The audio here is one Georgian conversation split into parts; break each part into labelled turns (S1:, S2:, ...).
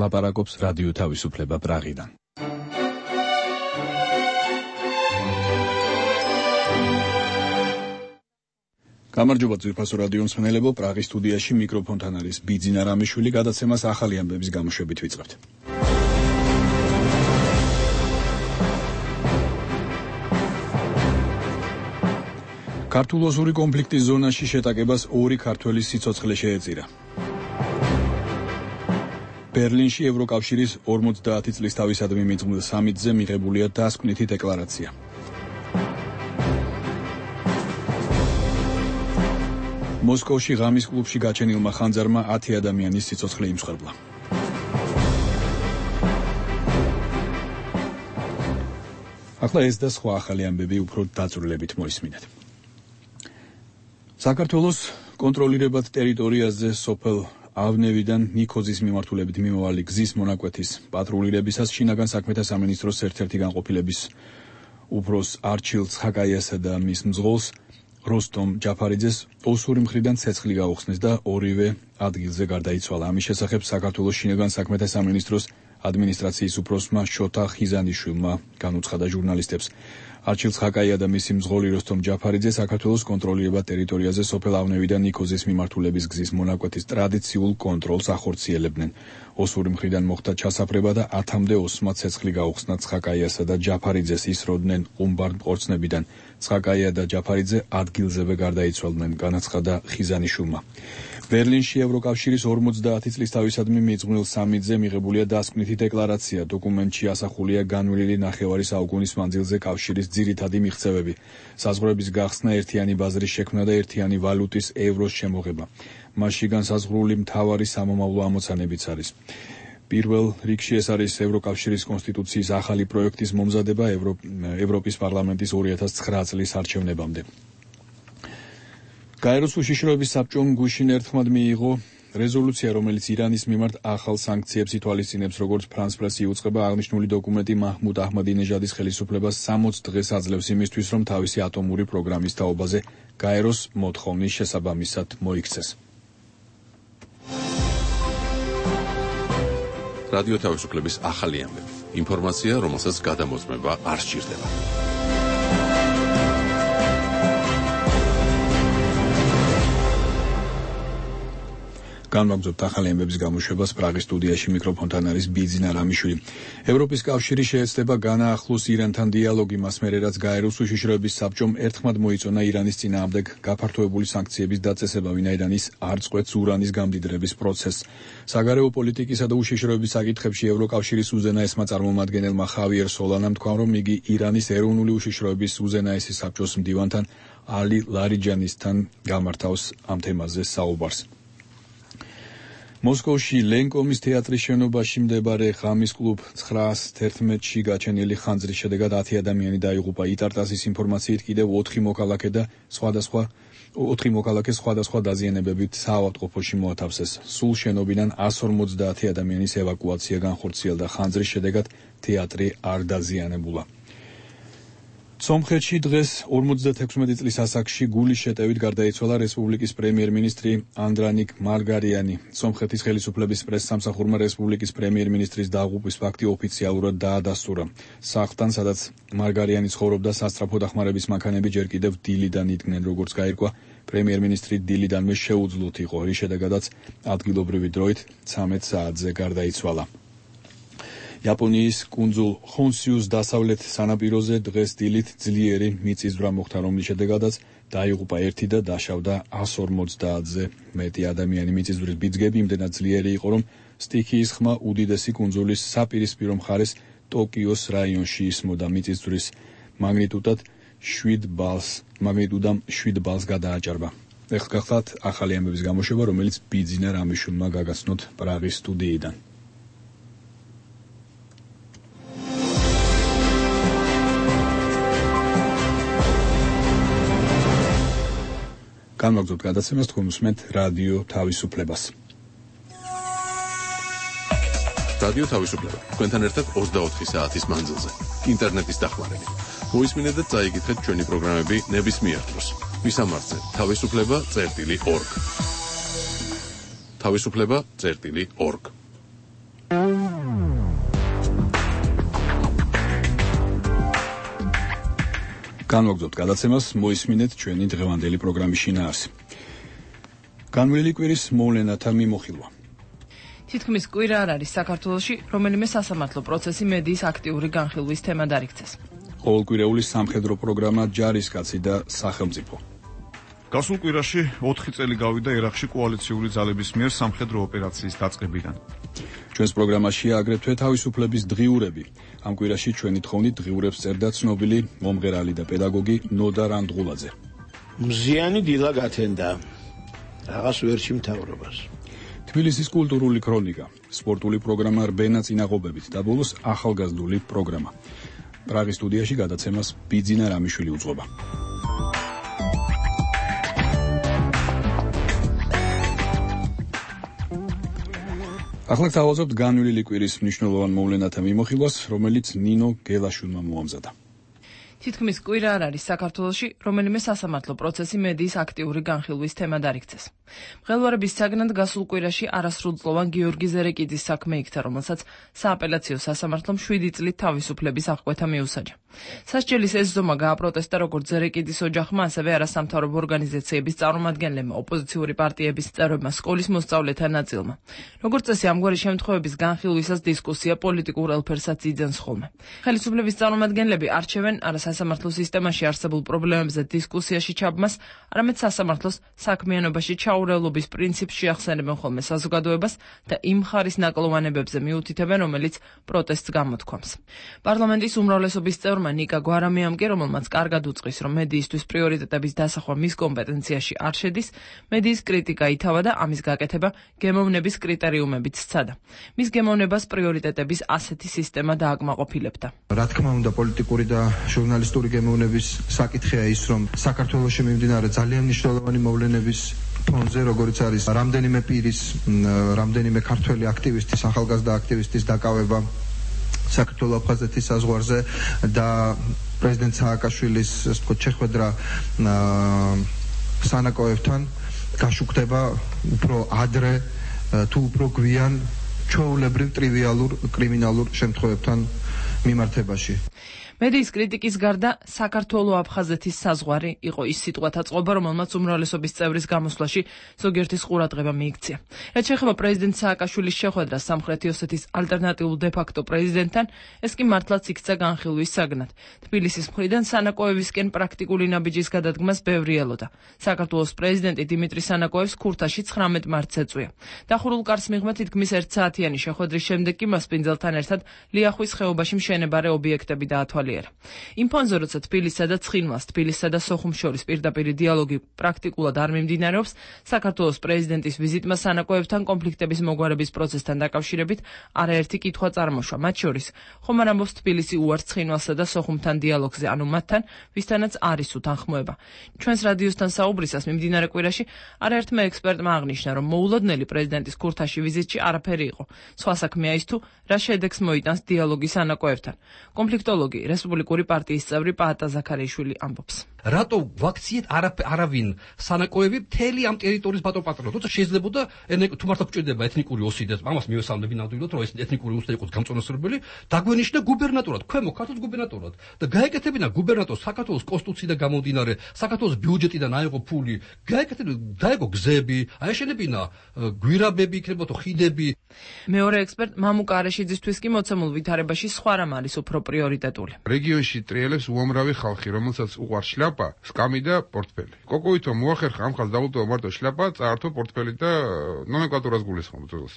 S1: ლაპარაკობს რადიო თავისუფლება პრაღიდან. გამარჯობა ძვირფასო რადიო მსმენელებო, პრაღის სტუდიაში მიკროფონთან არის ბიძინა რამიშვილი, გადაცემას ახალი ამბების გამოშვებით ვიწყებთ. ქართულ-ოსური კონფლიქტის ზონაში შეტაკებას 2 ქართველის სიცოცხლე შეეწირა. ბერლინში ევროკავშირის 50 წლის თავისადმი მიძღვნილ სამიტზე მიღებულია დასკვნითი დეკლარაცია. მოსკოვში ღამის კლუბში გაჩენილმა ხანძარმა 10 ადამიანის სიცოცხლე იმსხვერპლა. ახლა ეს და სხვა ახალი ამბები უფრო დაწვრილებით მოისმინეთ. საქართველოს კონტროლირებად ტერიტორიაზე სოფელ ავნევიდან ნიქოზის მიმართულებით მიმავალი გზის მონაკვეთის პატრულირებისას შინაგან საქმეთა სამინისტროს ერთ-ერთი განყოფილების უფროს არჩილ ცხაკაიასა და მის მძღოლს როსტომ ჯაფარიძეს ოსური მხრიდან ცეცხლი გაუხსნეს და ორივე ადგილზე გარდაიცვალა. ამის შესახებ საქართველოს შინაგან საქმეთა სამინისტროს ადმინისტრაციის უფროსმა შოთა ხიზანიშვილმა განუცხადა ჟურნალისტებს. არჩილ ცხაკაია და მისი მძღოლი როსტომ ჯაფარიძე საქართველოს კონტროლირებად ტერიტორიაზე სოფელ ავნევიდან ნიქოზის მიმართულების გზის მონაკვეთის ტრადიციულ კონტროლს ახორციელებდნენ. ოსური მხრიდან მოხდა ჩასაფრება და 10-მდე ოსმა ცეცხლი გაუხსნა ცხაკაიასა და ჯაფარიძეს, ისროდნენ ყუმბარ მყორცნებიდან. ცხაკაია და ჯაფარიძე ადგილზევე გარდაიცვალნენ, განაცხადა ხიზანიშვილმა. ბერლინში ევროკავშირის 50 წლის თავისადმი მიძღვნილ სამიტზე მიღებულია დასკვნითი დეკლარაცია. დოკუმენტში ასახულია განვლილი ნახევარი საუკუნის მანძილზე კავშირის ძირითადი მიღწევები, საზღვრების გახსნა, ერთიანი ბაზრის შექმნა და ერთიანი ვალუტის ევროს შემოღება. მასში განსაზღვრული მთავარი სამომავლო ამოცანებიც არის. პირველ რიგში ეს არის ევროკავშირის კონსტიტუციის ახალი პროექტის მომზადება ევროპის პარლამენტის 2009 წლის არჩევნებამდე. გაეროს უშიშროების საბჭომ გუშინ ერთხმად მიიღო რეზოლუცია, რომელიც ირანის მიმართ ახალ სანქციებს ითვალისწინებს, როგორც ფრანს პრესი იუწყება. აღნიშნული დოკუმენტი მაჰმუდ აჰმადინეჟადის ხელისუფლებას 60 დღეს აძლევს იმისთვის, რომ თავისი ატომური პროგრამის თაობაზე გაეროს მოთხოვნის შესაბამისად მოიქცეს.
S2: რადიო თავისუფლების ახალი ამბები. ინფორმაცია, რომელსაც გადამოწმება არ სჭირდება.
S1: განვაგრძობთ ახალი ამბების გამოშვებას. პრაღის სტუდიაში მიკროფონთან არის ბიძინა რამიშვილი. ევროპის კავშირი შეეცდება განაახლოს ირანთან დიალოგი, მას მერე რაც გაეროს უშიშროების საბჭომ ერთხმად მოიწონა ირანის წინააღმდეგ გაფართოებული სანქციების დაწესება, ვინაიდან ის არ წყვეტს ურანის გამდიდრების პროცესს. საგარეო პოლიტიკისა და უშიშროების საკითხებში ევროკავშირის უზენაესმა წარმომადგენელმა ხავიერ სოლანამ თქვა, რომ იგი ირანის ეროვნული უშიშროების უზენაესი საბჭოს მდივანთან ალი ლარიჯანისთან გამართავს ამ თემაზე საუბარს. მოსკოვში ლენკომის თეატრის შენობაში მდებარე ღამის კლუბ 911-ში გაჩენილი ხანძრის შედეგად 10 ადამიანი დაიღუპა. იტარტასის ინფორმაციით კიდევ 4 მოქალაქე სხვადასხვა დაზიანებებით საავადმყოფოში მოათავსეს. სულ შენობიდან 150 ადამიანის ევაკუაცია განხორციელდა. ხანძრის შედეგად თეატრი არ დაზიანებულა. სომხეთში დღეს 56 წლის ასაკში გულის შეტევით გარდაიცვალა რესპუბლიკის პრემიერ-მინისტრი ანდრანიკ მარგარიანი. სომხეთის ხელისუფლების პრესსამსახურმა რესპუბლიკის პრემიერ-მინისტრის დაღუპვის ფაქტი ოფიციალურად დაადასტურა. სახლთან, სადაც მარგარიანი ცხოვრობდა, სასწრაფო დახმარების მანქანები ჯერ კიდევ დილიდან იდგნენ. როგორც გაირკვა, პრემიერ-მინისტრი დილიდანვე შეუძლოთ იყო, რის შედეგადაც ადგილობრივი დროით 13 საათზე გარდაიცვალა. იაპონიის კუნძულ ხონსიუს დასავლეთ სანაპიროზე დღეს დილით ძლიერი მიწისძვრა მოხდა, რომლის შედეგადაც დაიღუპა 1 და დაშავდა 150-ზე მეტი ადამიანი. მიწისძვრის ბიძგები იმდენად ძლიერი იყო, რომ სტიქიის ხმა უდიდესი კუნძულის საპირისპირო მხარეს ტოკიოს რაიონში ისმოდა. მიწისძვრის მაგნიტუდამ 7 ბალს გადააჭარბა. ეხლა გახლავთ ახალი ამბების გამოშვება, რომელიც ბიძინა რამიშვილმა გაგაცნოთ პრაღის სტუდიიდან. განვაგრძობთ გადაცემას, თქვენ უსმენთ რადიო თავისუფლებას.
S2: რადიო თავისუფლება. თქვენთან ერთად 24 საათის მანძილზე. ინტერნეტის დახმარებით. მოისმინეთ და წაიგეთ ჩვენი პროგრამები ნებისმიერ დროს. ვისამართზე თავისუფლება.org. თავისუფლება.org.
S1: განვაგრძობთ გადაცემას, მოისმინეთ ჩვენი დღევანდელი პროგრამის შინაარსი. განვლილი კვირის მოვლენათა მიმოხილვა.
S3: თითქმის კვირა არ არის საქართველოში, რომელიმე სასამართლო პროცესი მედიის აქტიური განხილვის თემად არ იქცეს.
S1: ყოველკვირეული სამხედრო პროგრამა ჯარისკაცი და სახელმწიფო.
S4: გასულ კვირაში 4 წელი გავიდა ერაყში კოალიციური ძალების მიერ სამხედრო ოპერაციის დაწყებიდან.
S1: ჩვენს პროგრამაშია აგრეთვე თავისუფლების დღიურები. ამ კვირაში ჩვენი თხოვნით დღიურებს წერდა ცნობილი მომღერალი და პედაგოგი ნოდა რანდღულაძე.
S5: მზიანი დილა გათენდა რაღაც ვერში მთავრობას.
S1: თბილისის კულტურული ქრონიკა, სპორტული პროგრამა რბენა წინაღობებით და ბოლოს ახალგაზრდული პროგრამა. პრაღის სტუდიაში გადაცემას ბიძინა რამიშვილი უძღვება. ახლა გავაზრდოთ განვლილი კვირის მნიშვნელოვან მოვლენათა მიმოხილვას, რომელიც ნინო გელაშვილმა მოამზადა.
S3: თითქმის კვირა არ არის საქართველოში, რომელიმე სასამართლო პროცესი მედიის აქტიური განხილვის თემად არ იქცეს. მღელვარების საგნად გასულ კვირაში არასრულწლოვან გიორგი ზერეკიძის საქმე იქცა, რომელსაც სააპელაციო სასამართლომ 7 წლით თავისუფლების აღკვეთა მიუსაჯა. სასჯელის ეს ზომა გააპროტესტა როგორც ზერეკიძის ოჯახმა, ასევე არასამთავრობო ორგანიზაციების წარმომადგენლებმა, ოპოზიციური პარტიების წევრებმა, სკოლის მოსწავლეთა ნაწილმა. როგორც წესი, ამგვარი შემთხვევების განხილვისას დისკუსია პოლიტიკურ ელფერსაც იძენს ხოლმე. ხელისუფლების წარმომადგენლები არჩევენ არასასამართლო სისტემაში არსებულ პრობლემებზე დისკუსიაში ჩაბმას, არამედ სასამართლოს საქმიანობაში ჩაურევლობის პრინციპს შეახსენებენ ხოლმე საზოგადოებას და იმ ხარის ნაკლოვანებებზე მიუთითებენ, რომელიც პროტესტს გამოთქვამს. პარლამენტის უმრავლესობის წევრმა ნიკა გვარამიამ კი, რომელმაც კარგად უწყის, რომ მედიისთვის პრიორიტეტების დასახვა მის კომპეტენციაში არ შედის, მედიის კრიტიკა ითავა და ამის გაკეთება გემოვნების კრიტერიუმებით სცადა. მის გემოვნებას პრიორიტეტების ასეთი სისტემა დააკმაყოფილებდა.
S6: რა თქმა უნდა, პოლიტიკური და ჟურნალისტური გემოვნების საკითხია ის, რომ საქართველოში მიმდინარე ძალიან მნიშვნელოვანი მოვლენების ფონზე, როგორც არის რამდენიმე პირის, რამდენიმე ქართველი აქტივისტის, ახალგაზრდა აქტივისტის დაკავება საქართველო-აფხაზეთის საზღვარზე და პრეზიდენტ სააკაშვილის, ასე ვთქვათ, შეხვედრა სანაკოევთან გაშუქდება უფრო ადრე თუ უფრო გვიან ჩვეულებრივ ტრივიალურ კრიმინალურ შემთხვევებთან მიმართებაში.
S3: მედიის კრიტიკის გარდა საქართველო-აფხაზეთის საზღვარი იყო ის სიტყვათა წყობა, რომელმაც უმრავლესობის წევრის გამოსვლაში ზოგიერთის ყურადღება მიიქცია. რაც შეეხება პრეზიდენტ სააკაშვილის შეხვედრას სამხრეთი ოსეთის ალტერნატიულ დე-ფაქტო პრეზიდენტთან, ეს კი მართლაც იქცა განხილვის საგნად. თბილისის მხრიდან სანაკოევისკენ პრაქტიკული ნაბიჯის გადადგმას ბევრი ელოდა. საქართველოს პრეზიდენტი დიმიტრი სანაკოევს ქურთაში 19 მარტს ეწვია. დახურულ კარს მიღმა თითქმის 1 საათიანი შეხვედრის შემდეგ კი მასპინძელთან ერთად ლიახვის ხეობაში მშენებარე ობიექტები დაათვალიერა. იმ ფონზე, როცა თბილისსა და ცხინვალს, თბილისსა და სოხუმს შორის პირდაპირ დიალოგი პრაქტიკულად არ მიმდინარეობს, საქართველოს პრეზიდენტის ვიზიტმა სანაკოევთან კონფლიქტების მოგვარების პროცესთან დაკავშირებით არაერთი კითხვა წარმოშვა. მათ შორის, ხომ არ ამბობს თბილისი უარს ცხინვალსა და სოხუმთან დიალოგზე, ანუ მათთან, ვისთანაც არის უთანხმოება. ჩვენს რადიოსთან საუბრისას მიმდინარე კვირაში არაერთმა ექსპერტმა აღნიშნა, რომ მოულოდნელი პრეზიდენტის ქურთაში ვიზიტში არაფერი იყო. სხვა საქმეა ის თუ რა შედეგს მოიტანს დიალოგი სანაკოევთან. კონფლიქტოლოგი რესპუბლიკური პარტიის წევრი პაატა ზაქარიაშვილი ამბობს.
S7: რატო ვაქციეთ არავინ სანაკოევი მთელი ამ ტერიტორიის ბატონპატრონად, თუმცა შეიძლებოდა თუ მართლა გვჭირდება ეთნიკური ოსი და ამას მივესალმები ნამდვილად, რომ ეს ეთნიკური ოსი იყოს გამწონასწორებელი, დაგვენიშნა გუბერნატორად, ქვემო ქართლის გუბერნატორად და გაეკეთებინა გუბერნატორს საქართველოს კონსტიტუციიდან გამომდინარე, საქართველოს ბიუჯეტიდან აიღო ფული, დაეგო გზები, აეშენებინა გვირაბები, იქნებოდა ხიდები.
S3: მეორე ექსპერტ მამუკა არეშიძისთვის კი მოცემულ ვითარებაში სხვა რამ არის უფრო პრიორიტეტული.
S8: რეგიონში ტრიელებს უამრავი ხალხი, რომელსაც უყვარს შლაპა, სკამი და პორტფელი. კოკოვითო მოახერხა ამ ხალხს დაუტოვა მარტო შლაპა, წაართო პორტფელი და ნომენკლატურას გულისხმობ ძველს.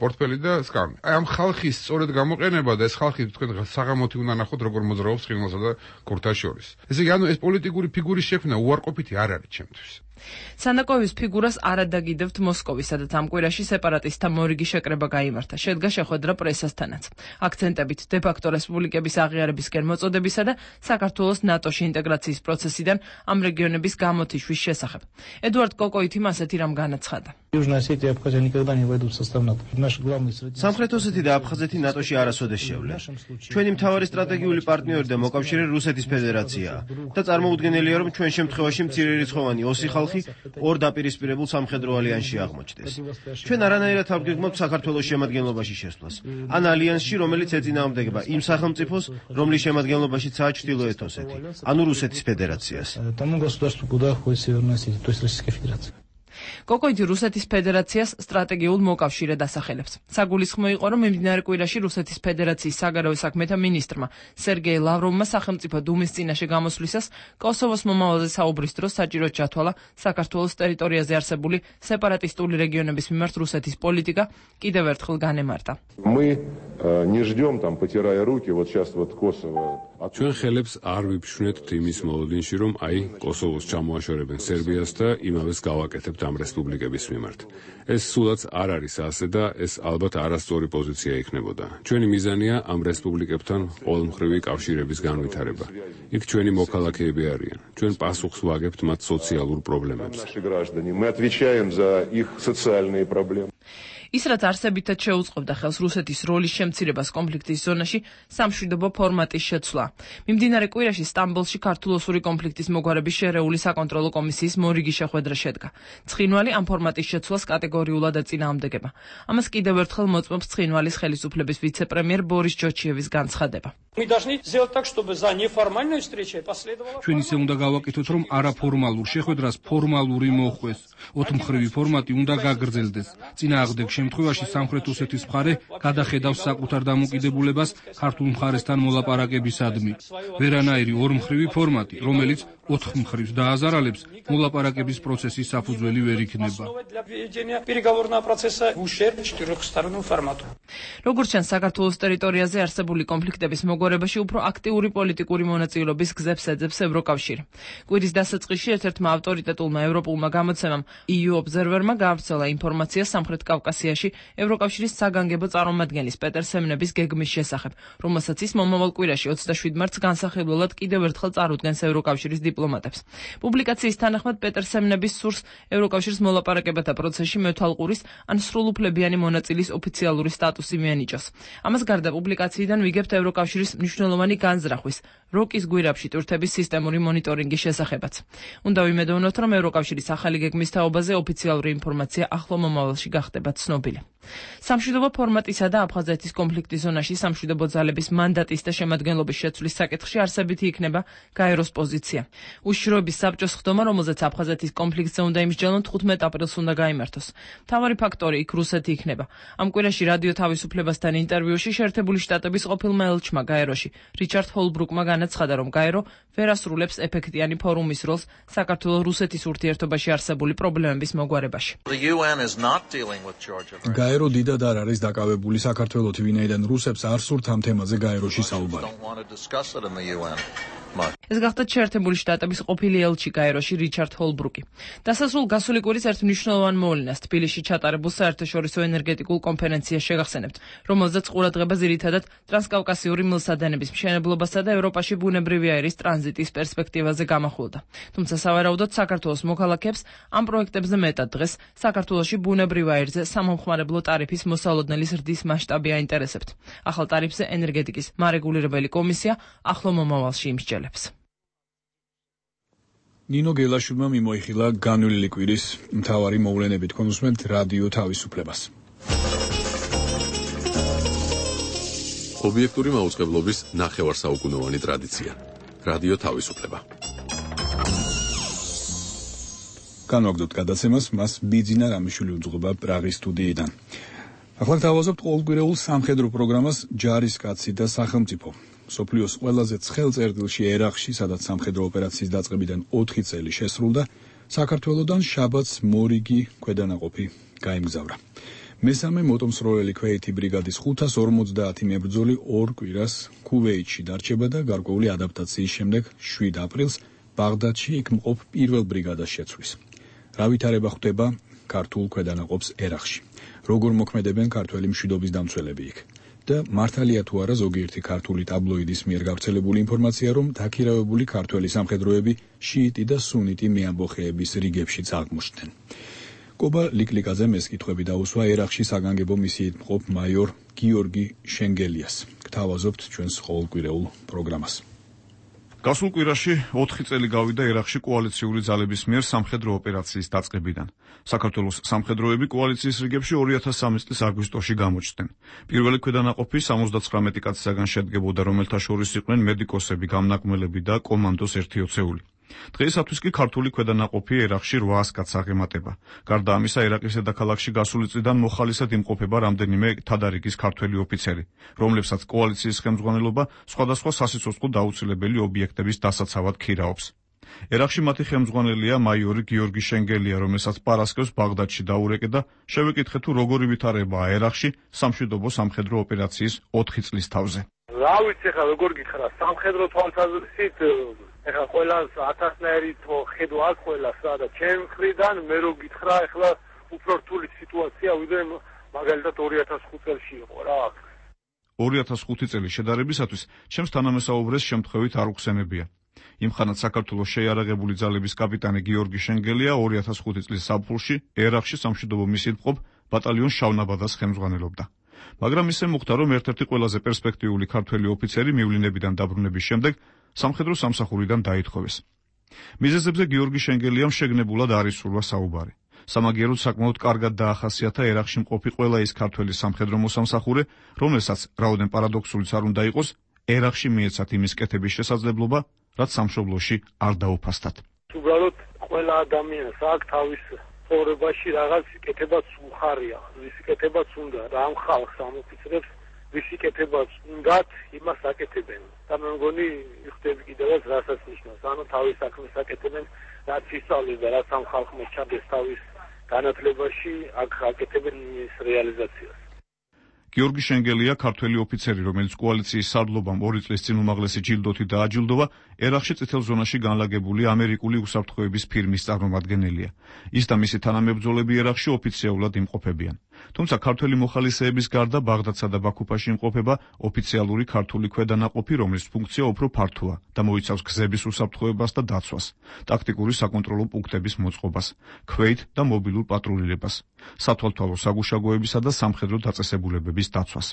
S8: პორტფელი და სკამი. აი ამ ხალხის სწორედ გამოყენება და ეს ხალხი თქვენ საღამოთი უნდა ნახოთ, როგორ მოძრაობს ცხინვალსა და ქურთას შორის. ესე იგი, ანუ ეს პოლიტიკური ფიგურის შექმნა უარყოფითი არ არის ჩემთვის.
S3: სანაკოევის ფიგურას არ ადაგიდებთ მოსკოვი, სადაც ამ კვირაში სეპარატისტთა მორიგი შეკრება გაიმართა. შედგა შეხვედრა პრესასთანაც. აქცენტებით დე-ფაქტო რესპუბლიკების აღიარებისკენ მოწოდებისა და საქართველოს ნატოში ინტეგრაციის პროცესიდან ამ რეგიონების გამოთიშვის შესახებ. ედუარდ კოკოითიმ ასეთი რამ განაცხადა.
S9: სამხრეთ ოსეთი და აფხაზეთი ნატოში არასოდეს შევლენ. ჩვენი მთავარი სტრატეგიული პარტნიორი და მოკავშირე რუსეთის ფედერაციაა და წარმოუდგენელია, რომ ჩვენ შემთხვევაში მცირერიცხოვანი ოსი ხალხი ორ დაპირისპირებულ სამხედრო ალიანსში აღმოჩნდეს. ჩვენ არანაირად არ გვგეგმავთ საქართველოს შემადგენლობაში შესვლას, ან ალიანსში, რომელიც ეწინააღმდეგება იმ სახელმწიფოს, რომლის შემადგენლობაშიცაა ჩრდილოეთ ოსეთი, ანუ რუსეთის ფედერაციას.
S3: კოკოიძე რუსეთის ფედერაციას სტრატეგიულ მოკავშირედ ასახელებს. საგულისხმო იყო, რომ მიმდინარე კვირაში რუსეთის ფედერაციის საგარეო საქმეთა მინისტრმა სერგეი ლავროვმა სახელმწიფო დუმის წინაშე გამოსვლისას კოსოვოს მომავალზე საუბრის დროს საჭიროდ ჩათვალა საქართველოს ტერიტორიაზე არსებული სეპარატისტული რეგიონების მიმართ რუსეთის პოლიტიკა კიდევ ერთხელ განემარტა.
S10: ჩვენ ხელებს არ ვიფშვენთ იმის მოლოდინში, რომ კოსოვოს ჩამოაშორებენ სერბიას და იმავეს გავაკეთებთ ამ რესპუბლიკების მიმართ. ეს სულაც არ არის ასე და ეს ალბათ არასწორი პოზიცია იქნებოდა. ჩვენი მიზანია ამ რესპუბლიკებთან ყოველმხრივი კავშირების განვითარება. იქ ჩვენი მოქალაქეები არიან. ჩვენ პასუხს ვაგებთ მათ სოციალურ პრობლემებზე.
S3: ის რაც არსებითად შეუწყობდა ხელს რუსეთის როლის შემცირებას კონფლიქტის ზონაში, სამშვიდობო ფორმატის შეცვლა. მიმდინარე კვირაში სტამბოლში ქართულ-ოსური კონფლიქტის მოგვარების შერეული საკონტროლო კომისიის მორიგი შეხვედრა შედგა. ცხინვალი ამ ფორმატის შეცვლას კატეგორიულად ეწინააღმდეგება. ამას კიდევ ერთხელ მოწმობს ცხინვალის ხელისუფლების ვიცე-პრემიერ ბორის ჯოჩიევის განცხადება.
S7: ჩვენ ისე უნდა გავაკეთოთ, რომ არაფორმალურ შეხვედრას ფორმალური მოხდეს. ოთხმხრივი ფორმატი უნდა გაგრძელდეს. წინააღმდეგ შემთხვევაში სამხრეთ ოსეთის მხარე გადახედავს საკუთარ დამოკიდებულებას ქართულ მხარესთან მოლაპარაკებისადმი. ვერანაირი ორმხრივი ფორმატი, რომელიც ოთხმხრივს დააზარალებს, მოლაპარაკების პროცესის საფუძველი ვერ იქნება.
S3: როგორც ჩანს, საქართველოს ტერიტორიაზე არსებული კონფლიქტების მოგვარებაში უფრო აქტიური პოლიტიკური მონაწილეობის გზებს ეძებს ევროკავშირი. კვირის დასაწყისში ერთ-ერთმა ავტორიტეტულმა ევროპულმა გამოცემამ EU Observer-მა გაავრცელა ინფორმაცია სამხრეთ კავკასიაში ევროკავშირის საგანგებო წარმომადგენლის პეტერ სემნების გეგმის შესახებ, რომელსაც ის მომავალ კვირაში 27 მარტს განსახილველად კიდევ ერთხელ წარუდგენს ევროკავშირის დიპლომატებს. პუბლიკაციის თანახმად პეტერ სემნების სურს ევროკავშირის მოლაპარაკებათა პროცესში მეთვალყურის ან სრულუფლებიანი მონაწილის ოფიციალური სტატუსი მიანიჭოს. ამას გარდა პუბლიკაციიდან ვიგებთ ევროკავშირის მნიშვნელოვანი განზრახვის, როკის გვირაბში ტვირთების სისტემური მონიტორინგის შესახებაც. უნდა ვიმედოვნოთ, რომ ევროკავშირის ახალი გეგმის თაობაზე ოფიციალური ინფორმაცია ახლო მომავალში გახდება ცნობილი. სამშვიდობო ფორმატისა და აფხაზეთის კონფლიქტის ზონაში სამშვიდობო ძალების მანდატის და შემადგენლობის შეცვლის საკითხში არსებითი იქნება გაეროს პოზიცია. უშიშროების საბჭოს ხდომა, რომელზეც აფხაზეთის კონფლიქტზე უნდა იმსჯელონ 15 აპრილს უნდა გაიმართოს. მთავარი ფაქტორი იქ რუსეთი იქნება. ამ კვირაში რადიო თავისუფლებასთან ინტერვიუში შეერთებული შტატების ყოფილმა ელჩმა გაეროში რიჩარდ ჰოლბრუკმა განაცხადა, რომ გაერო ვერ ასრულებს ეფექტიანი ფორუმის როლს საქართველოს-რუსეთის ურთიერთობაში არსებული პრობლემების მოგვარებაში.
S1: გაერო დიდად არ არის დაკავებული საქართველოთი, ვინაიდან რუსებს არ სურთ ამ თემაზე გაეროში საუბარი.
S3: ეს გახდა შეერთებული შტატების ყოფილი ელჩი გაეროში რიჩარდ ჰოლბრუკი. დასასრულ გასული კვირის ერთ მნიშვნელოვან მოვლენას თბილისში ჩატარებულ საერთაშორისო ენერგეტიკულ კონფერენციას შეგახსენებთ, რომელზეც ყურადღება ძირითადად ტრანსკავკასიური მილსადენების მშენებლობასა და ევროპაში ბუნებრივი აირის ტრანზიტის პერსპექტივაზე გამახვილდა. თუმცა სავარაუდოდ საქართველოს მოქალაქეებს ამ პროექტებზე მეტად დღეს საქართველოში ბუნებრივ აირზე სამომხმარებლო ტარიფის მოსალოდნელი ზრდის მასშტაბი აინტერესებთ. ახალ ტარიფზე ენერგეტიკის მარეგულირებელი კომისია ახლო მომავალში იმსჯელებს.
S1: ნინო გელაშვილმა მიმოიხილა განვლილი კვირის მთავარი მოვლენები. თქვენ უსმენთ რადიო თავისუფლებას.
S2: ობიექტური მაუწყებლობის ნახევარსაუკუნოვანი ტრადიცია. რადიო თავისუფლება.
S1: განვაგრძობთ გადაცემას, მას ბიძინა რამიშვილი უძღვება პრაღის სტუდიიდან. ახლა გავაზობთ ყოველკვირეულ სამხედრო პროგრამას ჯარისკაცი და სახელმწიფო. სოფლიოს ყველაზე ცხელ წერტილში ერაყში, სადაც სამხედრო ოპერაციის დაწყებიდან 4 წელი შესრულდა, საქართველოდან შაბათს მორიგი ქვედანაყოფი გაემგზავრა. მესამე მოტომსროლელი ქვეითი ბრიგადის 550 მებრძოლი 2 კვირას ქუვეითში დარჩება და გარკვეული ადაპტაციის შემდეგ 7 აპრილს ბაღდადში იქ მყოფ პირველ ბრიგადას შეცვლის. რა ვითარება ხდება ქართულ ქვედანაყოფს ერაყში? როგორ მოქმედებენ ქართველი მშვიდობის დამცველები იქ? და მართალია თუ არა ზოგიერთი ქართული ტაბლოიდის მიერ გავრცელებული ინფორმაცია, რომ დაქირავებული ქართველი სამხედროები შიიტი და სუნიტი მეამბოხეების რიგებშიც აღმოჩნდნენ. კობა ლიკლიკაძემ ეს კითხვები დაუსვა ერაყში საგანგებო მისიით მყოფ მაიორ გიორგი შენგელიას. გთავაზობთ ჩვენს ყოველკვირეულ პროგრამას.
S4: გასულ კვირაში 4 წელი გავიდა ერაყში კოალიციური ძალების მიერ სამხედრო ოპერაციის დაწყებიდან. საქართველოს სამხედროები კოალიციის რიგებში 2013 წლის აგვისტოში გამოჩნდნენ. პირველი ქვედანაყოფი 79 კაცისაგან შედგებოდა, რომელთა შორის იყვნენ მედიკოსები, გამნაკმელები და კომანდოს 1-20. დღეისათვის კი ქართული ქვედანაყოფი ერაყში 800 კაცს აღემატება. გარდა ამისა, ერაყის დედაქალაქში გასული წლიდან მოხალისად იმყოფება რამდენიმე თადარიგის ქართველი ოფიცერი, რომლებსაც კოალიციის ხელმძღვანელობა სხვადასხვა სასიცოცხლო დაუცილებელი ობიექტების დასაცავად ქირაობს. ერაყში მათი ხელმძღვანელია მაიორი გიორგი შენგელია, რომელსაც პარასკევს ბაღდადში დაურეკე და შევეკითხე თუ როგორი ვითარებაა ერაყში სამშვიდობო სამხედრო ოპერაციის 4 წლის თავზე.
S11: რა ვიცი ხა როგორ გითხრა სამხედრო თვალსაზრისით ეხლა ყველას ათასნაირი ხედვა აქვს ყველას რა და ჩემ მხრიდან მე რო გითხრა ეხლა უფრო რთული სიტუაცია ვიდრე მაგალითად 2005 წელს იყო რა.
S4: 2005 წელი შედარებისათვის ჩემს თანამესაუბრეს შემთხვევით არ უხსენებია. იმხანად საქართველოს შეიარაღებული ძალების კაპიტანი გიორგი შენგელია 2005 წლის ზაფხულში ერაყში სამშვიდობო მისიით მყოფ ბატალიონ შავნაბადას ხელმძღვანელობდა. მაგრამ ისე მოხდა, რომ ერთ-ერთი ყველაზე პერსპექტიული ქართველი ოფიცერი მივლინებიდან დაბრუნების შემდეგ სამხედრო სამსახურიდან დაითხოვეს. მიზეზებზე გიორგი შენგელიამ შეგნებულად არ ისურვა საუბარი. სამაგიეროდ საკმაოდ კარგად დაახასიათა ერაყში მყოფი ყველა ის ქართველი სამხედრო მოსამსახურე, რომელსაც რაოდენ პარადოქსულიც არ უნდა იყოს, ერაყში მიეცათ იმის კეთების შესაძლებლობა, რაც სამშობლოში არ დაუფასდათ.
S11: უბრალოდ ყველა ადამიანს აქვს თავის ცხოვრებაში რაღაც კეთებაც უხარია, ვის კეთებაც უნდა, რამ ხალხს ამოფიცრებს, ვის კეთებაც უნდათ, იმას აკეთებენ. და მე მგონი იხდები კიდევაც რასაც ნიშნავს, ანუ თავის საქმეს აკეთებენ, რაც ისწავლის და რაც ამ ხალხმა ჩადეს თავის განათლებაში, აქ აკეთებენ ის რეალიზაციას.
S4: გიორგი შენგელია ქართველი ოფიცერი, რომელიც კოალიციის სარდლობამ 2 წლის წინ უმაღლესი ჯილდოთი დააჯილდოვა, ერაყში წითელ ზონაში განლაგებული ამერიკული უსაფრთხოების ფირმის წარმომადგენელია. ის და მისი თანამებრძოლები ერაყში ოფიციალურად იმყოფებიან. თუმცა ქართველი მოხალისეების გარდა ბაღდადსა და ბაქუფაში იმყოფება ოფიციალური ქართული ქვედანაყოფი, რომლის ფუნქცია უფრო ფართოა და მოიცავს გზების უსაფრთხოებას და დაცვას, ტაქტიკური საკონტროლო პუნქტების მოწყობას, ქვეით და მობილურ პატრულირებას, სათვალთვალო საგუშაგოებისა და სამხედრო დაწესებულებების დაცვას.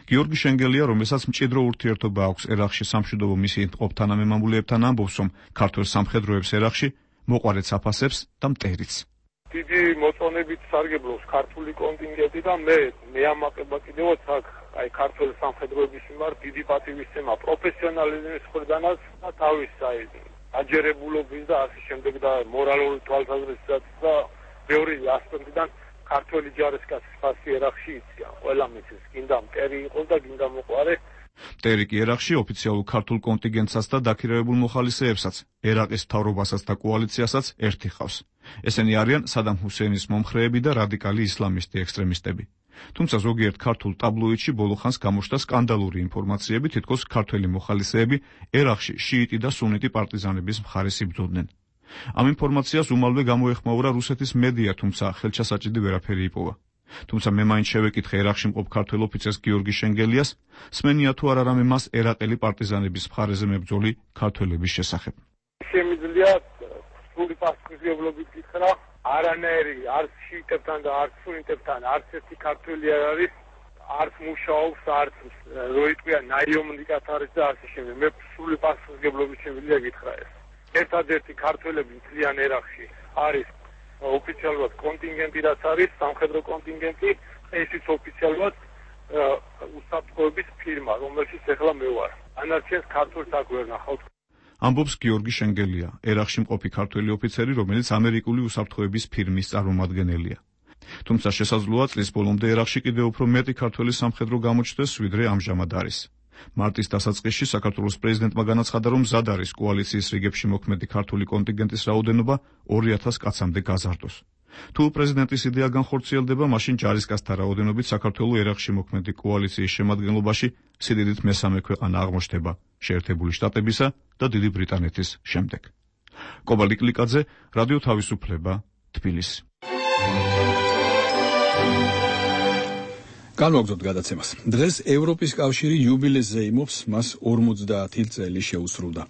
S4: გიორგი შენგელია, რომელსაც მჭიდრო ურთიერთობა აქვს ერაყში სამშვიდობო მისიით მყოფ თანამემამულეებთან, ამბობს, რომ ქართველ სამხედროებს ერაყში მოყვარეთს აფასებს და მტერიც.
S11: დიდი მოწონებით სარგებლობს ქართული კონტინგენტი და მე ამაყება კიდევაც აქ აი ქართული სამხედროების მიმართ დიდი პატივისცემა პროფესიონალიზმის მხრიდანაც და თავის აი აჯერებულობის და ასე შემდეგ და მორალური თვალსაზრისით და ბევრი ასპექტიდან ქართული ჯარისკაცის ფასი ერაყში იციან. ყველა მიცის, გინდა მტერი იყოს და გინდა მოყვარე.
S4: მტერი კი ერაყში ოფიციალურ ქართულ კონტინგენტსაც და დაქირავებულ მოხალისეებსაც, ერაყის მთავრობასაც და კოალიციასაც ერთი ხავს. ესენი არიან სადამ ჰუსეინის მომხრეები და რადიკალი ისლამისტი ექსტრემისტები. თუმცა ზოგიერთ ქართულ ტაბლოიდში ბოლო ხანს გამოჩნდა სკანდალური ინფორმაციები, თითქოს ქართველი მოხალისეები ერაყში შიიტი და სუნიტი პარტიზანების მხარეს იბრძოდნენ. ამ ინფორმაციას უმალვე გამოეხმაურა რუსეთის მედია, თუმცა ხელჩასაჭიდი ვერაფერი იპოვა. თუმცა მე მაინც შევეკითხე ერაყში მყოფ ქართველ ოფიცერს გიორგი შენგელიას, სმენია თუ არა რამე მას ერაყელი პარტიზანების მხარეზე მებრძოლი ქართველების შესახებ.
S11: შემიძლია სრული პასუხისმგებლობით გითხრა, არანაირი არც შიიტებთან და არც სუნიტებთან არც ერთი ქართველი არ არის, არც მუშაობს, არც როიტყვია ნაიომნიკად არის და ასე შემდეგ. მე სრული პასუხისმგებლობით შემიძლია გითხრა ეს. ერთადერთი ქართველები მთლიან ერაყში არის ოფიციალურად კონტინგენტი, რაც არის სამხედრო კონტინგენტი, ესეც ოფიციალურად უსაფრთხოების ფირმა, რომელშიც ეხლა მე ვარ. ანარჩიას ქართულს აქ ვერ ნახავთ.
S4: ამბობს გიორგი შენგელია, ერაყში მყოფი ქართველი ოფიცერი, რომელიც ამერიკული უსაფრთხოების ფირმის წარმომადგენელია. თუმცა შესაძლოა წლის ბოლომდე ერაყში კიდევ უფრო მეტი ქართველი სამხედრო გამოჩნდეს, ვიდრე ამჟამად არის. მარტის დასაწყისში საქართველოს პრეზიდენტმა განაცხადა, რომ მზად არის კოალიციის რიგებში მოქმედი ქართული კონტინგენტის რაოდენობა 2000 კაცამდე გაზარდოს. თუ პრეზიდენტის იდეა განხორციელდება, მაშინ ჯარისკაცთა რაოდენობით საქართველოს ერაყში მოქმედი კოალიციის შემადგენლობაში სიდიდით მესამე ქვეყანა აღმოჩნდება შეერთებული შტატებისა და დიდი ბრიტანეთის შემდეგ. კობა ლიკლიკაძე, რადიო თავისუფლება, თბილისი.
S1: განვაგრძობთ გადაცემას. დღეს ევროპის კავშირი იუბილეზე იმობს, მას 50 წელი შეუსრულდა.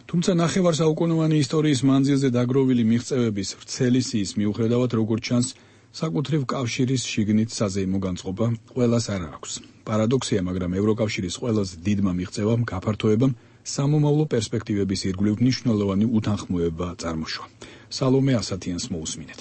S1: თუმცა ნახევარსაუკუნოვანი ისტორიის მანძილზე დაგროვილი მიღწევების ვრცელი სიის მიუხედავად, როგორც ჩანს, საკუთრივ კავშირის შიგნით საზეიმო განწყობა ყველას არ აქვს. პარადოქსია, მაგრამ ევროკავშირის ყველაზე დიდმა მიღწევამ გაფართოებამ სამომავლო პერსპექტივების ირგვლივ მნიშვნელოვანი უთანხმოება წარმოშვა. სალომე ასათიანს მოусმინეთ.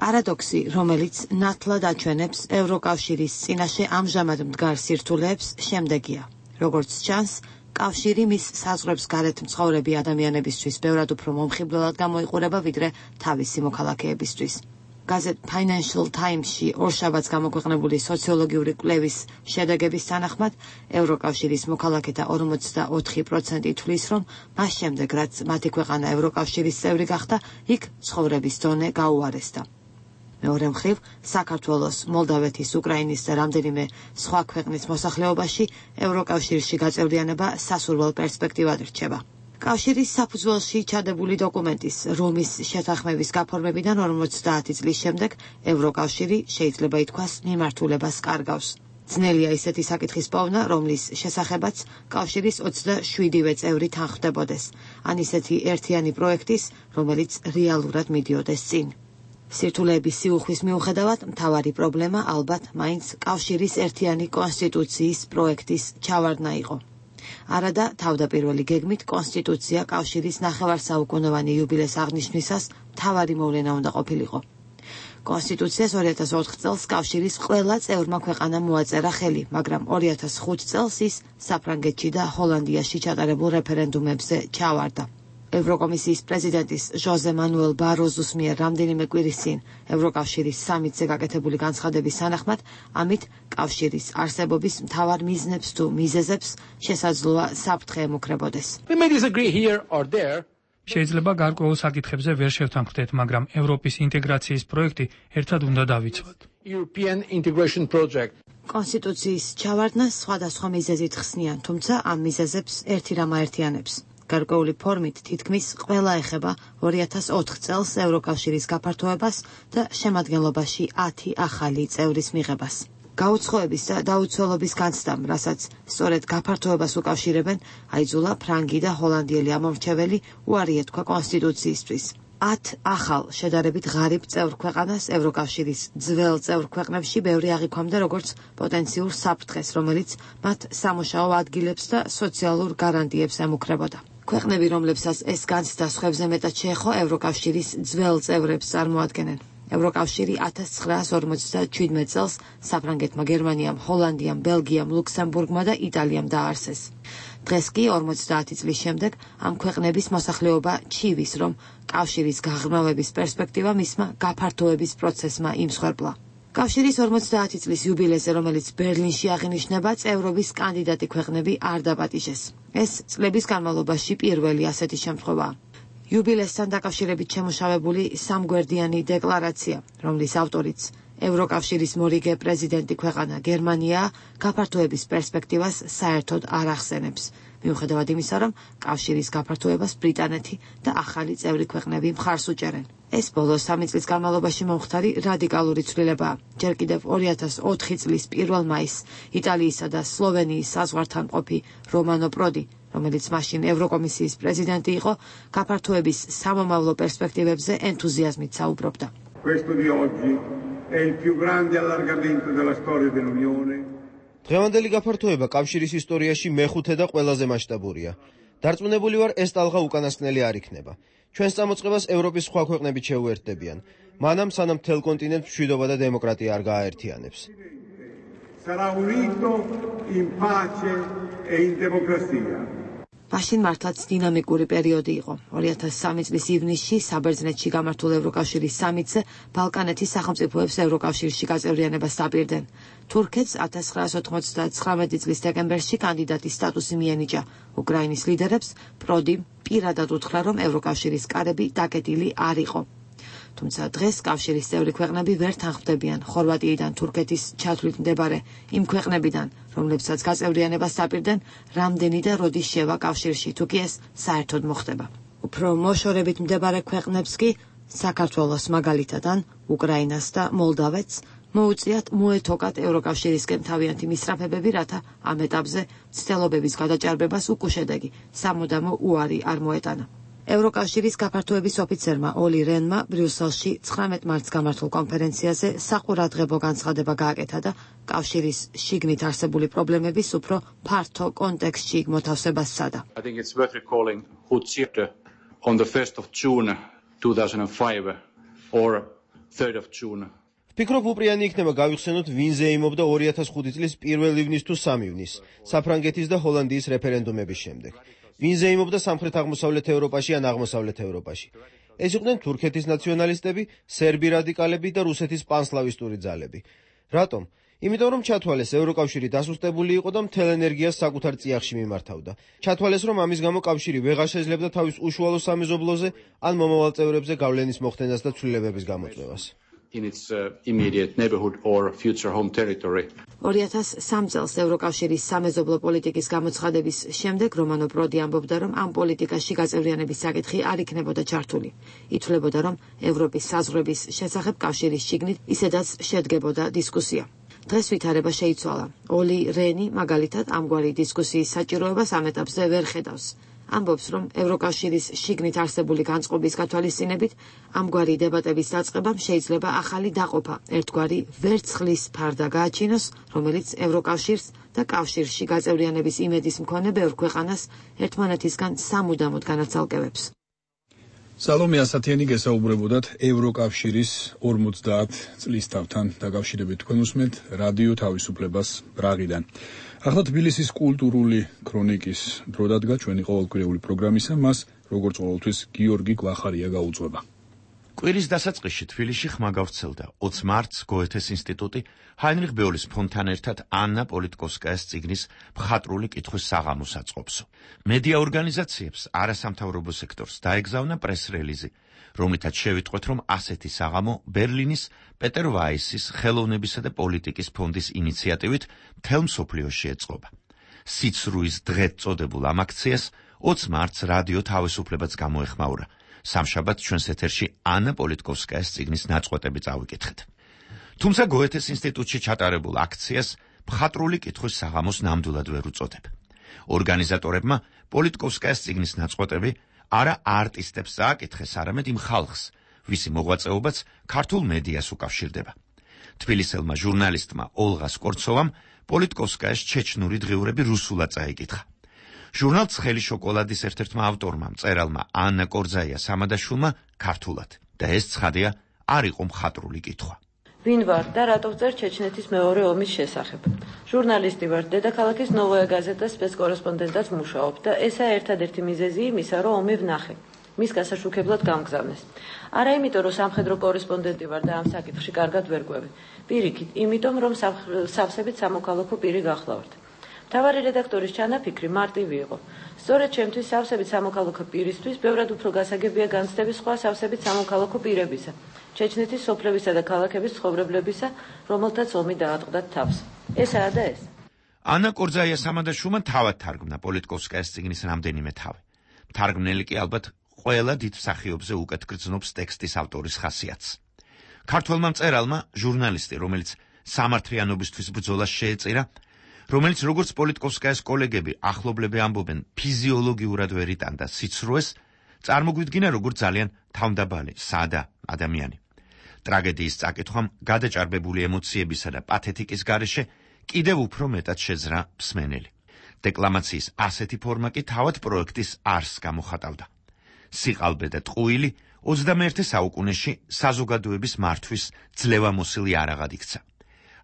S12: პარადოქსი, რომელიც ნათლად აჩვენებს ევროკავშირის წინაშე ამჟამად მდგარ სირთულეებს, შემდეგია. როგორც ჩანს, კავშირი მის საზღვრებს გარეთ მცხოვრები ადამიანებისთვის ბევრად უფრო მომხიბვლელად გამოიყურება, ვიდრე თავისი მოქალაქეებისთვის. გაზეთ Financial Times-ში ორშაბათს გამოქვეყნებული სოციოლოგიური კვლევის შედეგების თანახმად, ევროკავშირის მოქალაქეთა 44% თვლის, რომ მას შემდეგ, რაც მათი ქვეყანა ევროკავშირის წევრი გახდა, იქ ცხოვრების დონე გაუარესდა. მეორე მხრივ, საქართველოს, მოლდავეთის, უკრაინის და რამდენიმე სხვა ქვეყნის მოსახლეობაში ევროკავშირში გაწევრიანება სასურველ პერსპექტივად რჩება. კავშირის საფუძველში ჩადებული დოკუმენტის რომის შეთანხმების გაფორმებიდან 50 წლის შემდეგ ევროკავშირი შეიძლება ითქვას მიმართულებას კარგავს. ძნელია ისეთი საკითხის პოვნა, რომლის შესახებაც კავშირის 27-ვე წევრი თანხმდებოდეს, ან ისეთი ერთიანი პროექტის, რომელიც რეალურად მიდიოდეს წინ. სირთულეების სიუხვის მიუხედავად, მთავარი პრობლემა ალბათ მაინც კავშირის ერთიანი კონსტიტუციის პროექტის ჩავარდნა იყო. არადა თავდაპირველი გეგმით კონსტიტუცია კავშირის ნახევარსაუკუნოვანი იუბილეს აღნიშვნისას მთავარი მოვლენა უნდა ყოფილიყო. კონსტიტუციას 2004 წელს კავშირის ყველა წევრმა ქვეყანამ მოაწერა ხელი, მაგრამ 2005 წელს ის საფრანგეთში და ჰოლანდიაში ჩატარებულ რეფერენდუმებზე ჩავარდა. ევროკომისიის პრეზიდენტის ჟოზე მანუელ ბაროზუს მიერ რამდენიმე კვირის წინ ევროკავშირის სამიტზე გაკეთებული განცხადების თანახმად, ამით კავშირის არსებობის მთავარ მიზნებს თუ მიზეზებს შესაძლოა საფრთხე ემუქრებოდეს.
S13: შეიძლება გარკვეულ საკითხებზე ვერ შევთანხმდეთ, მაგრამ ევროპის ინტეგრაციის პროექტი ერთად უნდა დავიცვათ.
S12: კონსტიტუციის ჩავარდნას სხვადასხვა მიზეზით ხსნიან, თუმცა ამ მიზეზებს ერთი რამ აერთიანებს. გარკვეული ფორმით თითქმის ყველა ეხება 2004 წელს ევროკავშირის გაფართოებას და შემადგენლობაში 10 ახალი წევრის მიღებას. გაუცხოების და დაუცველობის განცდამ, რასაც სწორედ გაფართოებას უკავშირებენ, აიძულა ფრანგი და ჰოლანდიელი ამომრჩეველი უარი ეთქვა კონსტიტუციისთვის. 10 ახალ შედარებით ღარიბ წევრ ქვეყანას ევროკავშირის ძველ წევრ ქვეყნებში ბევრი აღიქვამდა როგორც პოტენციურ საფრთხეს, რომელიც მათ სამუშაო ადგილებს და სოციალურ გარანტიებს ემუქრებოდა. ქვეყნები, რომლებსაც ეს განცდა სხვებზე მეტად შეეხო, ევროკავშირის ძველ წევრებს წარმოადგენენ. ევროკავშირი 1957 წელს საფრანგეთმა, გერმანიამ, ჰოლანდიამ, ბელგიამ, ლუქსემბურგმა და იტალიამ დააარსეს. დღეს კი 50 წლის შემდეგ ამ ქვეყნების მოსახლეობა ჩივის, რომ კავშირის გაღრმავების პერსპექტივა მისმა გაფართოების პროცესმა იმსხვერპლა. კავშირის 50 წლის იუბილეზე, რომელიც ბერლინში აღინიშნება, წევრობის კანდიდატი ქვეყნები არ დაპატიჟეს. ეს წლების განმავლობაში პირველი ასეთი შემთხვევაა. იუბილესთან დაკავშირებით შემუშავებული სამგვერდიანი დეკლარაცია, რომლის ავტორიც ევროკავშირის მორიგე პრეზიდენტი ქვეყანა გერმანია, გაფართოების პერსპექტივას საერთოდ არ ახსენებს, მიუხედავად იმისა, რომ კავშირის გაფართოებას ბრიტანეთი და ახალი წევრი ქვეყნები მხარს უჭერენ. ეს ბოლო 3 წლის განმავლობაში მომხდარი რადიკალური ცვლილებაა. ჯერ კიდევ 2004 წლის 1 მაისს იტალიისა და სლოვენიის საზღვართან ყოფი რომანო პროდი, რომელიც მაშინ ევროკომისიის პრეზიდენტი იყო, გაფართოების სამომავლო პერსპექტივებზე ენთუზიაზმით საუბრობდა.
S9: დღევანდელი გაფართოება კავშირის ისტორიაში მეხუთე და ყველაზე მასშტაბურია. დარწმუნებული ვარ, ეს ტალღა უკანასკნელი არ იქნება. ჩვენს წამოწყებას ევროპის სხვა ქვეყნები შეუერთდებიან, მანამ სანამ მთელ კონტინენტს მშვიდობა და დემოკრატია არ გააერთიანებს.
S12: მაშინ მართლაც დინამიკური პერიოდი იყო. 2003 წლის ივნისში საბერძნეთში გამართულ ევროკავშირის სამიტზე ბალკანეთის სახელმწიფოებს ევროკავშირში გაწევრიანებას დაპირდნენ. თურქეთს 1999 წლის დეკემბერში კანდიდატის სტატუსი მიენიჭა. უკრაინის ლიდერებს პროდი პირადად უთხრა, რომ ევროკავშირის კარები დაკეტილი არ იყო. თუმცა დღეს კავშირის წევრი ქვეყნები ვერ თანხმდებიან ხორვატიიდან თურქეთის ჩათვლით მდებარე იმ ქვეყნებიდან, რომლებსაც გაწევრიანებას დაპირდნენ, რამდენი და როდის შევა კავშირში, თუ კი ეს საერთოდ მოხდება. უფრო მოშორებით მდებარე ქვეყნებს კი, საქართველოს მაგალითად, უკრაინას და მოლდავეთს მოუწიათ მოეთოკათ ევროკავშირისკენ თავიანთი მისწრაფებები, რათა ამ ეტაპზე მცდელობების გადაჭარბებას უკუშედეგი სამუდამო უარი არ მოეტანა. ევროკავშირის გაფართოების ოფიცერმა ოლი რენმა ბრიუსელში 19 მარტს გამართულ კონფერენციაზე საყურადღებო განცხადება გააკეთა და კავშირის შიგნით არსებული პრობლემების უფრო ფართო კონტექსტში მოთავსებას სცადა.
S14: I think it's worth recalling who cheered on the 1st of June 2005 or 3rd of June.
S9: ვფიქრობ, უპრიანი იქნება გავიხსენოთ, ვინ ზეიმობდა 2005 წლის 1 ივნის თუ 3 ივნის საფრანგეთის და ჰოლანდიის რეფერენდუმების შემდეგ. ვინ ზეიმობდა სამხრეთ-აღმოსავლეთ ევროპაში ან აღმოსავლეთ ევროპაში. ეს იყვნენ თურქეთის ნაციონალისტები, სერბი რადიკალები და რუსეთის პანსლავისტური ძალები. რატომ? იმიტომ რომ ჩათვალეს ევროკავშირი დასუსტებული იყო და მთელ ენერგიას საკუთარ წიაღში მიმართავდა. ჩათვალეს რომ ამის გამო კავშირი ვეღარ შეძლებდა თავის უშუალო სამეზობლოზე ან მომავალ წევრებზე გავლენის მოხდენას და ცვლილებების გამოწვევას.
S14: In its immediate neighborhood or future home territory.
S12: 2003 წელს ევროკავშირის სამეზობლო პოლიტიკის გამოცხადების შემდეგ რომანო პროდი ამბობდა, რომ ამ პოლიტიკაში გაწევრიანების საკითხი არ იქნებოდა ჩართული. ითვლებოდა, რომ ევროპის საზღვრების შესახებ კავშირის შიგნით ისედაც შედგებოდა დისკუსია. დღეს ვითარება შეიცვალა. ოლი რენი მაგალითად ამგვარი დისკუსიის საჭიროებას ამ ეტაპზე ვერ ხედავს. ამბობს, რომ ევროკავშირის შიგნით არსებული განწყობის გათვალისწინებით ამგვარი დებატების დაწყებამ შეიძლება ახალი დაყოფა, ერთგვარი ვერცხლის ფარდა გააჩინოს, რომელიც ევროკავშირს და კავშირში გაწევრიანების იმედის მქონე ბევრ ქვეყანას ერთმანეთისგან სამუდამოდ განაცალკევებს.
S1: სალომე ასათიანი გესაუბრებოდათ ევროკავშირის 50 წლის თავთან დაკავშირებით. თქვენ უსმენთ რადიო თავისუფლებას ბრაღიდან. ახლა თბილისის კულტურული ქრონიკის დრო დადგა ჩვენი ყოველკვირეული პროგრამისა, მას როგორც ყოველთვის გიორგი გვახარია გაუძღვება.
S15: კვირის დასაწყისში თბილისში ხმა გავრცელდა 20 მარტს გოეთეს ინსტიტუტი ჰაინრიხ ბეულის ფონდთან ერთად ანნა პოლიტკოვსკაიას წიგნის მხატვრული კითხვის საღამოს აწყობსო. მედია ორგანიზაციებს არასამთავრობო სექტორს დაეგზავნა პრეს-რელიზი, რომლითაც შევიტყვეთ, რომ ასეთი საღამო ბერლინის პეტერ ვაისის ხელოვნებისა და პოლიტიკის ფონდის ინიციატივით მთელ მსოფლიოში ეწყობა. სიცრუის დღედ წოდებულ ამ აქციას 20 მარტს რადიო თავისუფლებაც გამოეხმაურა. სამშაბათს ჩვენს ეთერში ანა პოლიტკოვსკაიას წიგნის ნაწყვეტები წავიკითხეთ. თუმცა გოეთეს ინსტიტუტში ჩატარებულ აქციას მხატვრული კითხვის საღამოს ნამდვილად ვერ უწოდებ. ორგანიზატორებმა პოლიტკოვსკაიას წიგნის ნაწყვეტები არა არტისტებს წააკითხეს, არამედ იმ ხალხს, ვისი მოღვაწეობაც ქართულ მედიას უკავშირდება. თბილისელმა ჟურნალისტმა ოლღა სკორცოვამ პოლიტკოვსკაიას ჩეჩნური დღიურები რუსულად წაიკითხა. ჟურნალ ცხელი შოკოლადის ერთ-ერთმა ავტორმა, მწერალმა ანა კორძაია სამადაშვილმა ქართულად და ეს ცხადია არ იყო მხატვრული კითხვა.
S16: ვინ ვარ და რატო ვწერ ჩეჩნეთის მეორე ომის შესახებ? ჟურნალისტი ვარ, დედაქალაქის ნოვოია გაზეტას სპეცკორესპონდენტად ვმუშაობ და ესაა ერთადერთი მიზეზი იმისა, რომ ომი ვნახე. მის გასაშუქებლად გამგზავნეს. არა იმიტომ, რომ სამხედრო კორესპონდენტი ვარ და ამ საკითხში კარგად ვერ ყვევი. პირიქით, იმიტომ, რომ სავსებით სამოქალაქო პირი გახლავართ. მთავარი რედაქტორის ჩანაფიქრი მარტივი იყო. სწორედ ჩემთვის სავსებით სამოქალაქო პირისთვის ბევრად უფრო გასაგებია განცდები სხვა სავსებით სამოქალაქო პირებისა, ჩეჩნეთის სოფლებისა და ქალაქების ცხოვრებლებისა, რომელთაც ომი დაატყდათ თავს. ესაა და ეს.
S15: ანა კორძაია სამადაშვილმა თავად თარგმნა პოლიტკოვსკაიას წიგნის რამდენიმე თავი. თარგმნელი კი ალბათ ყველა დიდ მსახიობზე უკეთ გრძნობს ტექსტის ავტორის ხასიათს. ქართველმა მწერალმა, ჟურნალისტი, რომელიც სამართლიანობისთვის ბრძოლას შეეწირა, რომელიც როგორც პოლიტკოვსკაიას კოლეგები ახლობლები ამბობენ, ფიზიოლოგიურად ვერ იტანდა სიცრუეს, წარმოგვიდგინა როგორც ძალიან თავმდაბალი, სადა ადამიანი. ტრაგედიის წაკითხვამ გადაჭარბებული ემოციებისა და პათეტიკის გარეშე კიდევ უფრო მეტად შეძრა მსმენელი. დეკლამაციის ასეთი ფორმა კი თავად პროექტის არსს გამოხატავდა. სიყალბე და ტყუილი 21 საუკუნეში საზოგადოების მართვის ძლევამოსილი არაღად იქცა.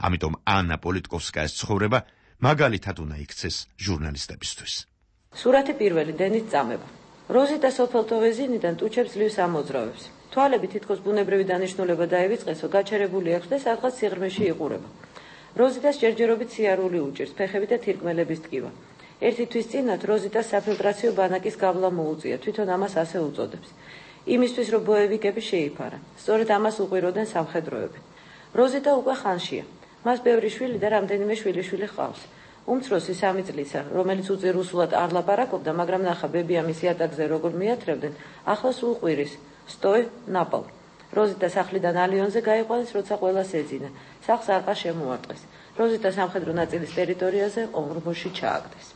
S15: ამიტომ ანა პოლიტკოვსკაიას ცხოვრება მაგალითად უნდა იქცეს ჟურნალისტებისთვის.
S16: სურათი პირველი დენით წამება. როზიტა სოფელტოვეზინიდან ტუჩებს ძლივს ამოძრავებს. თვალები თითქოს ბუნებრივი დანიშნულება დაივიწყესო, გაჩერებული აქვს და სადღაც სიღრმეში იყურება. როზიტას ჯერჯერობით სიარული უჭირს, ფეხები და თირკმელების ტკივა. ერთი თვის წინათ როზიტას საფილტრაციო ბანაკის გავლა მოუწია, თვითონ ამას ასე უწოდებს. იმისთვის, რომ ბოევიკები შეიფარა. სწორედ ამას უყვიროდნენ სამხედროები. როზიტა უკვე ხანშია. მას ბევრი შვილი და რამდენიმე შვილიშვილი ჰყავს. უმცროსი 3 წლისა, რომელიც უწერ რუსულად არ ლაპარაკობდა, მაგრამ ნახა ბებია მისი ატაკზე როგორ მიათრევდნენ, ახლა სულ ყვირის. სტოე ნაპალ. როზიტა სახლიდან ალიონზე გაიყვანეს, როცა ყველას ეძინა. სახლს არყა შემოარტყეს. როზიტა სამხედრო ნაწილის ტერიტორიაზე ორმოში ჩააგდეს.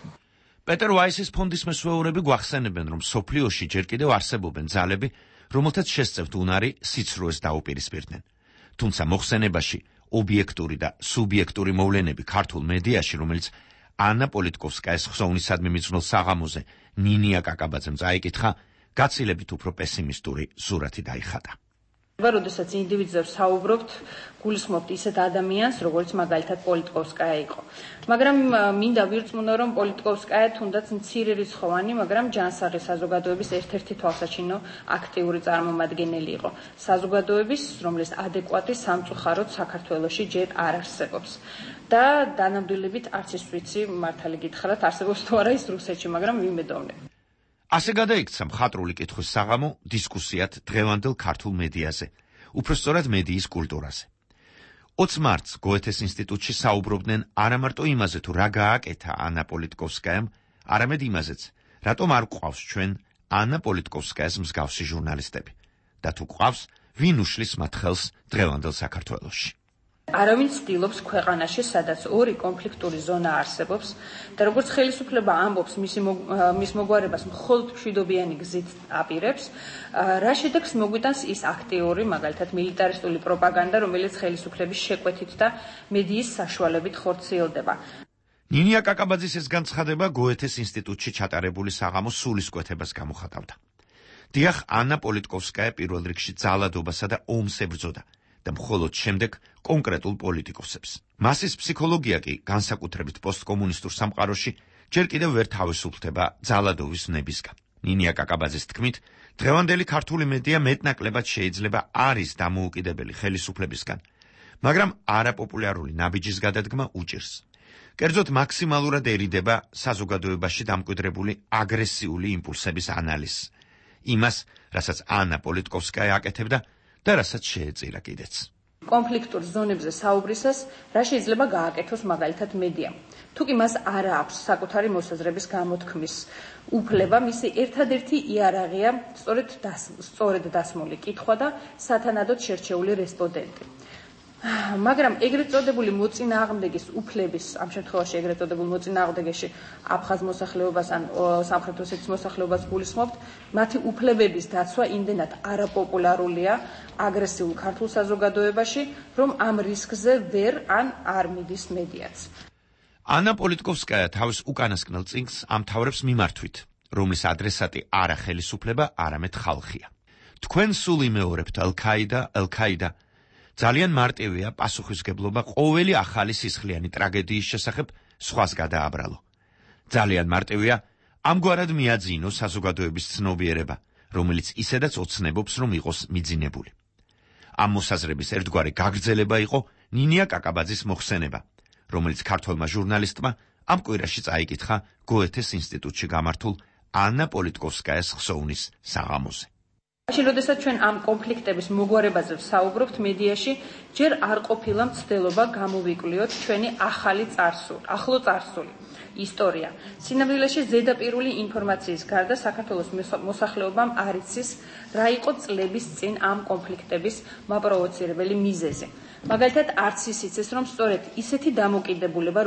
S15: პეტერ ვაისის ფონდის მესვეურები გვახსენებენ, რომ სოფლიოში ჯერ კიდევ არსებობენ ძალები, რომელთაც შესწევთ უნარი სიცრუეს დაუპირისპირდნენ. თუმცა მოხსენებაში ობიექტური და სუბიექტური მოვლენები ქართულ მედიაში, რომელიც ანა პოლიტკოვსკაის ხსოვნისადმი მიძღვნილ საღამოზე ნინია კაკაბაძემ წაიკითხა, გაცილებით უფრო პესიმისტური სურათი დაიხატა.
S17: როდესაც ინდივიდებს საუბრობთ, გულისხმობთ ისეთ ადამიანს, როგორც მაგალითად პოლიტკოვსკაია იყო. მაგრამ მინდა ვირწმუნო, რომ პოლიტკოვსკაია თუნდაც მცირე რიცხოვანი, მაგრამ ჯანსაღი საზოგადოების ერთ-ერთი თვალსაჩინო აქტიური წარმომადგენელი იყო. საზოგადოების, რომლის ადეკვატი სამწუხაროდ საქართველოში ჯერ არ არსებობს. და დანამდვილებით არც ის ვიცი, მართალი გითხრათ, არსებობს თუ არა ის რუსეთში, მაგრამ ვიმედოვნებ.
S15: ასე გადაიქცა მხატვრული კითხვის საღამო დისკუსიად დღევანდელ ქართულ მედიაზე, უпростоრად მედიის კულტურაზე. 20 მარტს გოეთეს ინსტიტუტში საუბრობდნენ არა მარტო იმაზე, თუ რა გააკეთა ანა პოლიტკოვსკაიამ, არამედ იმაზეც, რატომ არ გვყავს ჩვენ ანა პოლიტკოვსკაიას მსგავსი ჟურნალისტები და თუ გვყავს, ვინ უშლის მათ ხელს დღევანდელ საქართველოში.
S17: არავინ ცდილობს ქვეყანაში, სადაც ორი კონფლიქტური ზონა არსებობს და როგორც ხელისუფლება ამბობს მის მოგვარებას მხოლოდ მშვიდობიანი გზით აპირებს, რა შედეგს მოგვიტანს ის აქტიური, მაგალითად მილიტარისტული პროპაგანდა, რომელიც ხელისუფლების შეკვეთით და მედიის საშუალებით ხორციელდება.
S15: ნინია კაკაბაძის ეს განცხადება გოეთეს ინსტიტუტში ჩატარებული საღამოს სულისკვეთებას გამოხატავდა. დიახ, ანა პოლიტკოვსკაია პირველ რიგში ძალადობასა და ომს ებრძოდა და მხოლოდ შემდეგ კონკრეტულ პოლიტიკოსებს. მასის ფსიქოლოგია კი განსაკუთრებით პოსტკომუნისტურ სამყაროში ჯერ კიდევ ვერ თავისუფლდება ძალადობის ნებისგან. ნინია კაკაბაძის თქმით, დღევანდელი ქართული მედია მეტნაკლებად შეიძლება არის დამოუკიდებელი ხელისუფლებისგან, მაგრამ არაპოპულარული ნაბიჯის გადადგმა უჭირს. კერძოდ მაქსიმალურად ერიდება საზოგადოებაში დამკვიდრებული აგრესიული იმპულსების ანალიზს, იმას, რასაც ანა პოლიტკოვსკაია აკეთებდა და რასაც შეეწირა კიდეც.
S17: კონფლიქტურ ზონებზე საუბრისას რა შეიძლება გააკეთოს მაგალითად მედიამ. თუ კი მას არ აქვს საკუთარი მოსაზრების გამოთქმის უფლება, მისი ერთადერთი იარაღია სწორედ დასმული კითხვა და სათანადოდ შერჩეული რესპონდენტი. მაგრამ ეგრეთ წოდებული მოწინააღმდეგის უფლების, ამ შემთხვევაში ეგრეთ წოდებულ მოწინააღმდეგეში აფხაზ მოსახლეობას ან სამხრეთ ოსეთის მოსახლეობას გულისხმობთ, მათი უფლებების დაცვა იმდენად არაპოპულარულია აგრესიულ ქართულ საზოგადოებაში, რომ ამ რისკზე ვერ ან არ მიდის მედიაც.
S15: ანა პოლიტკოვსკაია თავის უკანასკნელ წიგნს ამთავრებს მიმართვით, რომლის ადრესატი არა ხელისუფლება, არამედ ხალხია. თქვენ სულ იმეორებთ ელ-ქაიდა. ძალიან მარტივია პასუხისგებლობა ყოველი ახალი სისხლიანი ტრაგედიის შესახებ სხვას გადააბრალო. ძალიან მარტივია ამგვარად მიაძინო საზოგადოების ცნობიერება, რომელიც ისედაც ოცნებობს, რომ იყოს მიძინებული. ამ მოსაზრების ერთგვარი გაგრძელება იყო ნინია კაკაბაძის მოხსენება, რომელიც ქართველმა ჟურნალისტმა ამ კვირაში წაიკითხა გოეთეს ინსტიტუტში გამართულ ანა პოლიტკოვსკაიას ხსოვნის საღამოზე.
S17: როდესაც ჩვენ ამ კონფლიქტების მოგვარებაზე ვსაუბრობთ მედიაში, ჯერ არ ყოფილა მცდელობა გამოვიკვლიოთ ჩვენი ახლო წარსული ისტორია. სინამდვილეში ზედაპირული ინფორმაციის გარდა საქართველოს მოსახლეობამ არ იცის, რა იყო წლების წინ ამ კონფლიქტების მაპროვოცირებელი მიზეზი. მაგალითად, არც ის იცის, რომ სწორედ ისეთი დამოკიდებულება,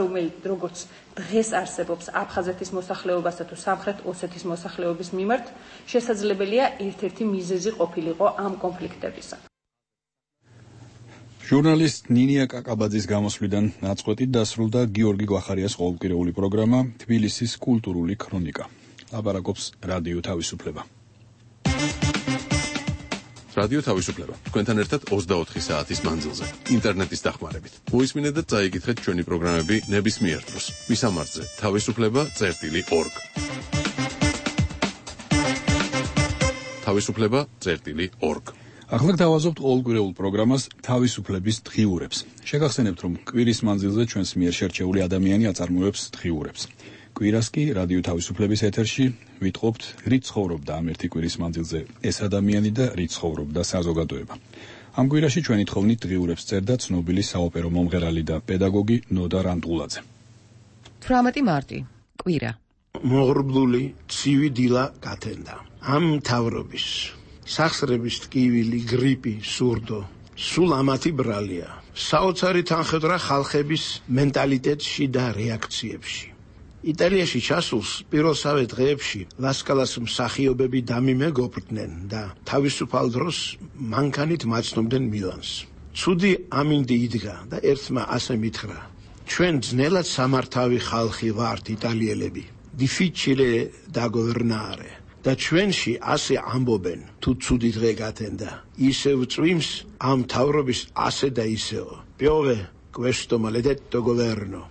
S17: როგორც დღეს არსებობს აფხაზეთის მოსახლეობასა თუ სამხრეთ ოსეთის მოსახლეობის მიმართ, შესაძლებელია ერთ-ერთი მიზეზი ყოფილიყო ამ კონფლიქტებისა.
S1: ჟურნალისტ ნინია კაკაბაძის გამოსვლიდან ნაწყვეტით დასრულდა გიორგი გვახარიას ყოველკვირეული პროგრამა თბილისის კულტურული ქრონიკა. ლაპარაკობს რადიო თავისუფლება.
S2: რადიო თავისუფლება. თქვენთან ერთად 24 საათის მანძილზე, ინტერნეტის დახმარებით. მოისმინეთ და წაიკითხეთ ჩვენი პროგრამები ნებისმიერ დროს. მისამართზე თავისუფლება.org. თავისუფლება.org.
S1: ახლა გავაზობთ ყოველკვირეულ პროგრამას თავისუფლების დღიურებს. შეგახსენებთ, რომ კვირის მანძილზე ჩვენს მიერ შერჩეული ადამიანი აწარმოებს დღიურებს. კვირას კი რადიო თავისუფლების ეთერში ვიტყობთ, რით ცხოვრობდა ამ ერთი კვირის მანძილზე ეს ადამიანი და რით ცხოვრობდა საზოგადოება. ამ კვირაში ჩვენი თხოვნით დღიურებს წერდა ცნობილი საოპერო მომღერალი და პედაგოგი ნოდა რანტულაძე.
S18: 18 მარტი, კვირა.
S5: მოღრუბლული ცივი დილა გათენდა. ამ მთავრობის სახსრების ტკივილი, გრიპი, სურდო, სულ ამათი ბრალია. საოცარი თანხმდრა ხალხების მენტალიტეტში და რეაქციებში. იტალიაში ჩასულს პირველსავე დღეებში ლასკალას მსახიობები დამიმეგობრდნენ და თავისუფალ დროს მანქანით მაცნობდნენ მილანს. ცუდი ამინდი იდგა და ერთმა ასე მითხრა: ჩვენ ძნელად სამართავი ხალხი ვართ იტალიელები. difficile da governare. და ჩვენში ასე ამბობენ, თუ ცუდი დღე გათენდა, ისევ წვიმს ამ თავრობის ასე და ისეო. Piove questo maledetto governo.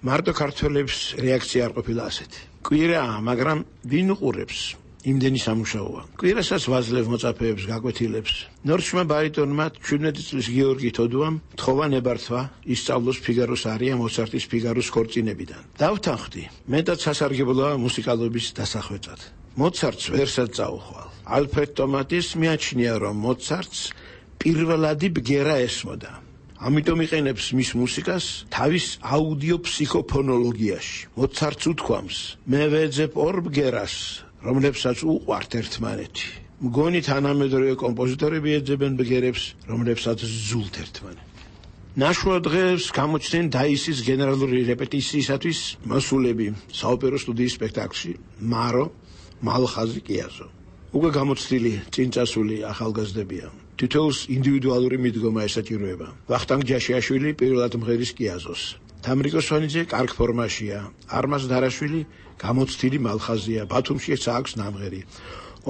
S5: მარტო ქართველებს რეაქცია არ ყოფილა ასეთი. კვირაა, მაგრამ ვინ უყურებს? იმდენი სამუშაოა. კვირასაც ვაძლევ მოწაფეებს, გაკვეთილებს. ნორჩმა ბარიტონმა 17 წლის გიორგი თოდუამ თხოვა ნებართვა ისწავლოს ფიგაროს არია მოცარტის ფიგაროს ქორწინებიდან. დავთანხმდი, მეტად სასარგებლოა მუსიკალობის დასახვეწად. მოცარტს ვერსად წაუხვალ. ალფრედ ტომატის მიაჩნია, რომ მოცარტს პირველადი ბგერა ესმოდა. ამიტომ იყენებს მის მუსიკას თავის აუდიო ფსიქოფონოლოგიაში. მოცარტს უთქვამს: მე ვეძებ ორ ბგერას, რომლებსაც უყვართ ერთმანეთი. მგონი თანამედროვე კომპოზიტორები ეძებენ ბგერებს, რომლებსაც ზულთ ერთმანეთი. ნაშუა დღეს გამოჩნდნენ დაისის გენერალური რეპეტიციისათვის მოსულები საოპერო სტუდიის სპექტაკლში მარო, მალხაზი, კიაზო. უკვე გამოცდილი წინწასული ახალგაზრდებია. თითოეულს ინდივიდუალური მიდგომა ესაჭიროება. ვახტანგ ჯაშიაშვილი პირველად მღერის კიაზოს. თამრიკო სვანიძე კარგ ფორმაშია. არმაზ დარაშვილი გამოცდილი მალხაზია. ბათუმშიც აქვს ნამღერი.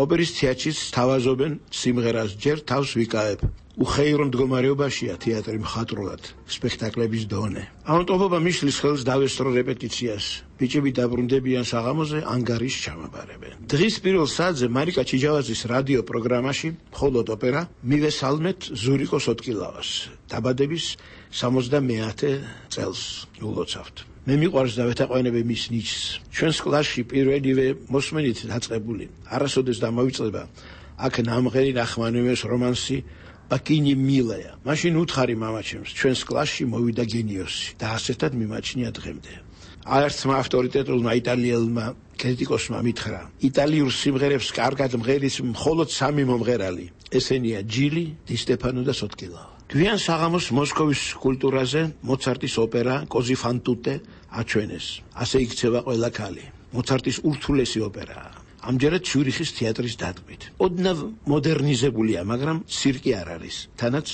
S5: ოპერის თეატრშიც თავაზობენ სიმღერას ჯერ თავს ვიკავებ. უხეირო მდგომარეობაშია თეატრი მხატვრულად, სპექტაკლების დონე. ამიტომობა მიშლის ხელს დავესწრო რეპეტიციას. ბიჭები დაბრუნდებიან საღამოზე, ანგარის ჩამაბარებენ. დღის პირველ საათზე მარიკა ჩიჯავაძის რადიო პროგრამაში მხოლოდ ოპერა მივესალმეთ ზურიკოს ოტკილავას. დაბადების 70 წელს ულოცავთ. მე მიყვარს და ვეთაყვანები მის ნიჭს. ჩვენს კლასში პირველივე მოსმენით დაწყებული. არასოდეს დამოვიწყდება აქ ნამღერი ნახმანიოს რომანსი ბაკინი მილაია. მაშინ უთხარი მამაჩემს, ჩვენს კლასში მოვიდა გენიოსი და ასეთად მიმაჩნია დღემდე. ერთმა ავტორიტეტულმა იტალიელმა კრიტიკოსმა მითხრა: იტალიურ სიმღერებს კარგად მღერის მხოლოდ 3 მომღერალი. ესენია ჯილი, დი სტეფანო და სოტკილავა. გვიან საღამოს მოსკოვის კულტურაზე მოცარტის ოპერა კოზი ფან ტუტე აჩვენეს. ასე იქცევა ყველა ქალი. მოცარტის ურთულესი ოპერაა. ამჯერად ციურიხის თეატრის დადგმით. ოდნავ მოდერნიზებულია, მაგრამ ცირკი არ არის. თანაც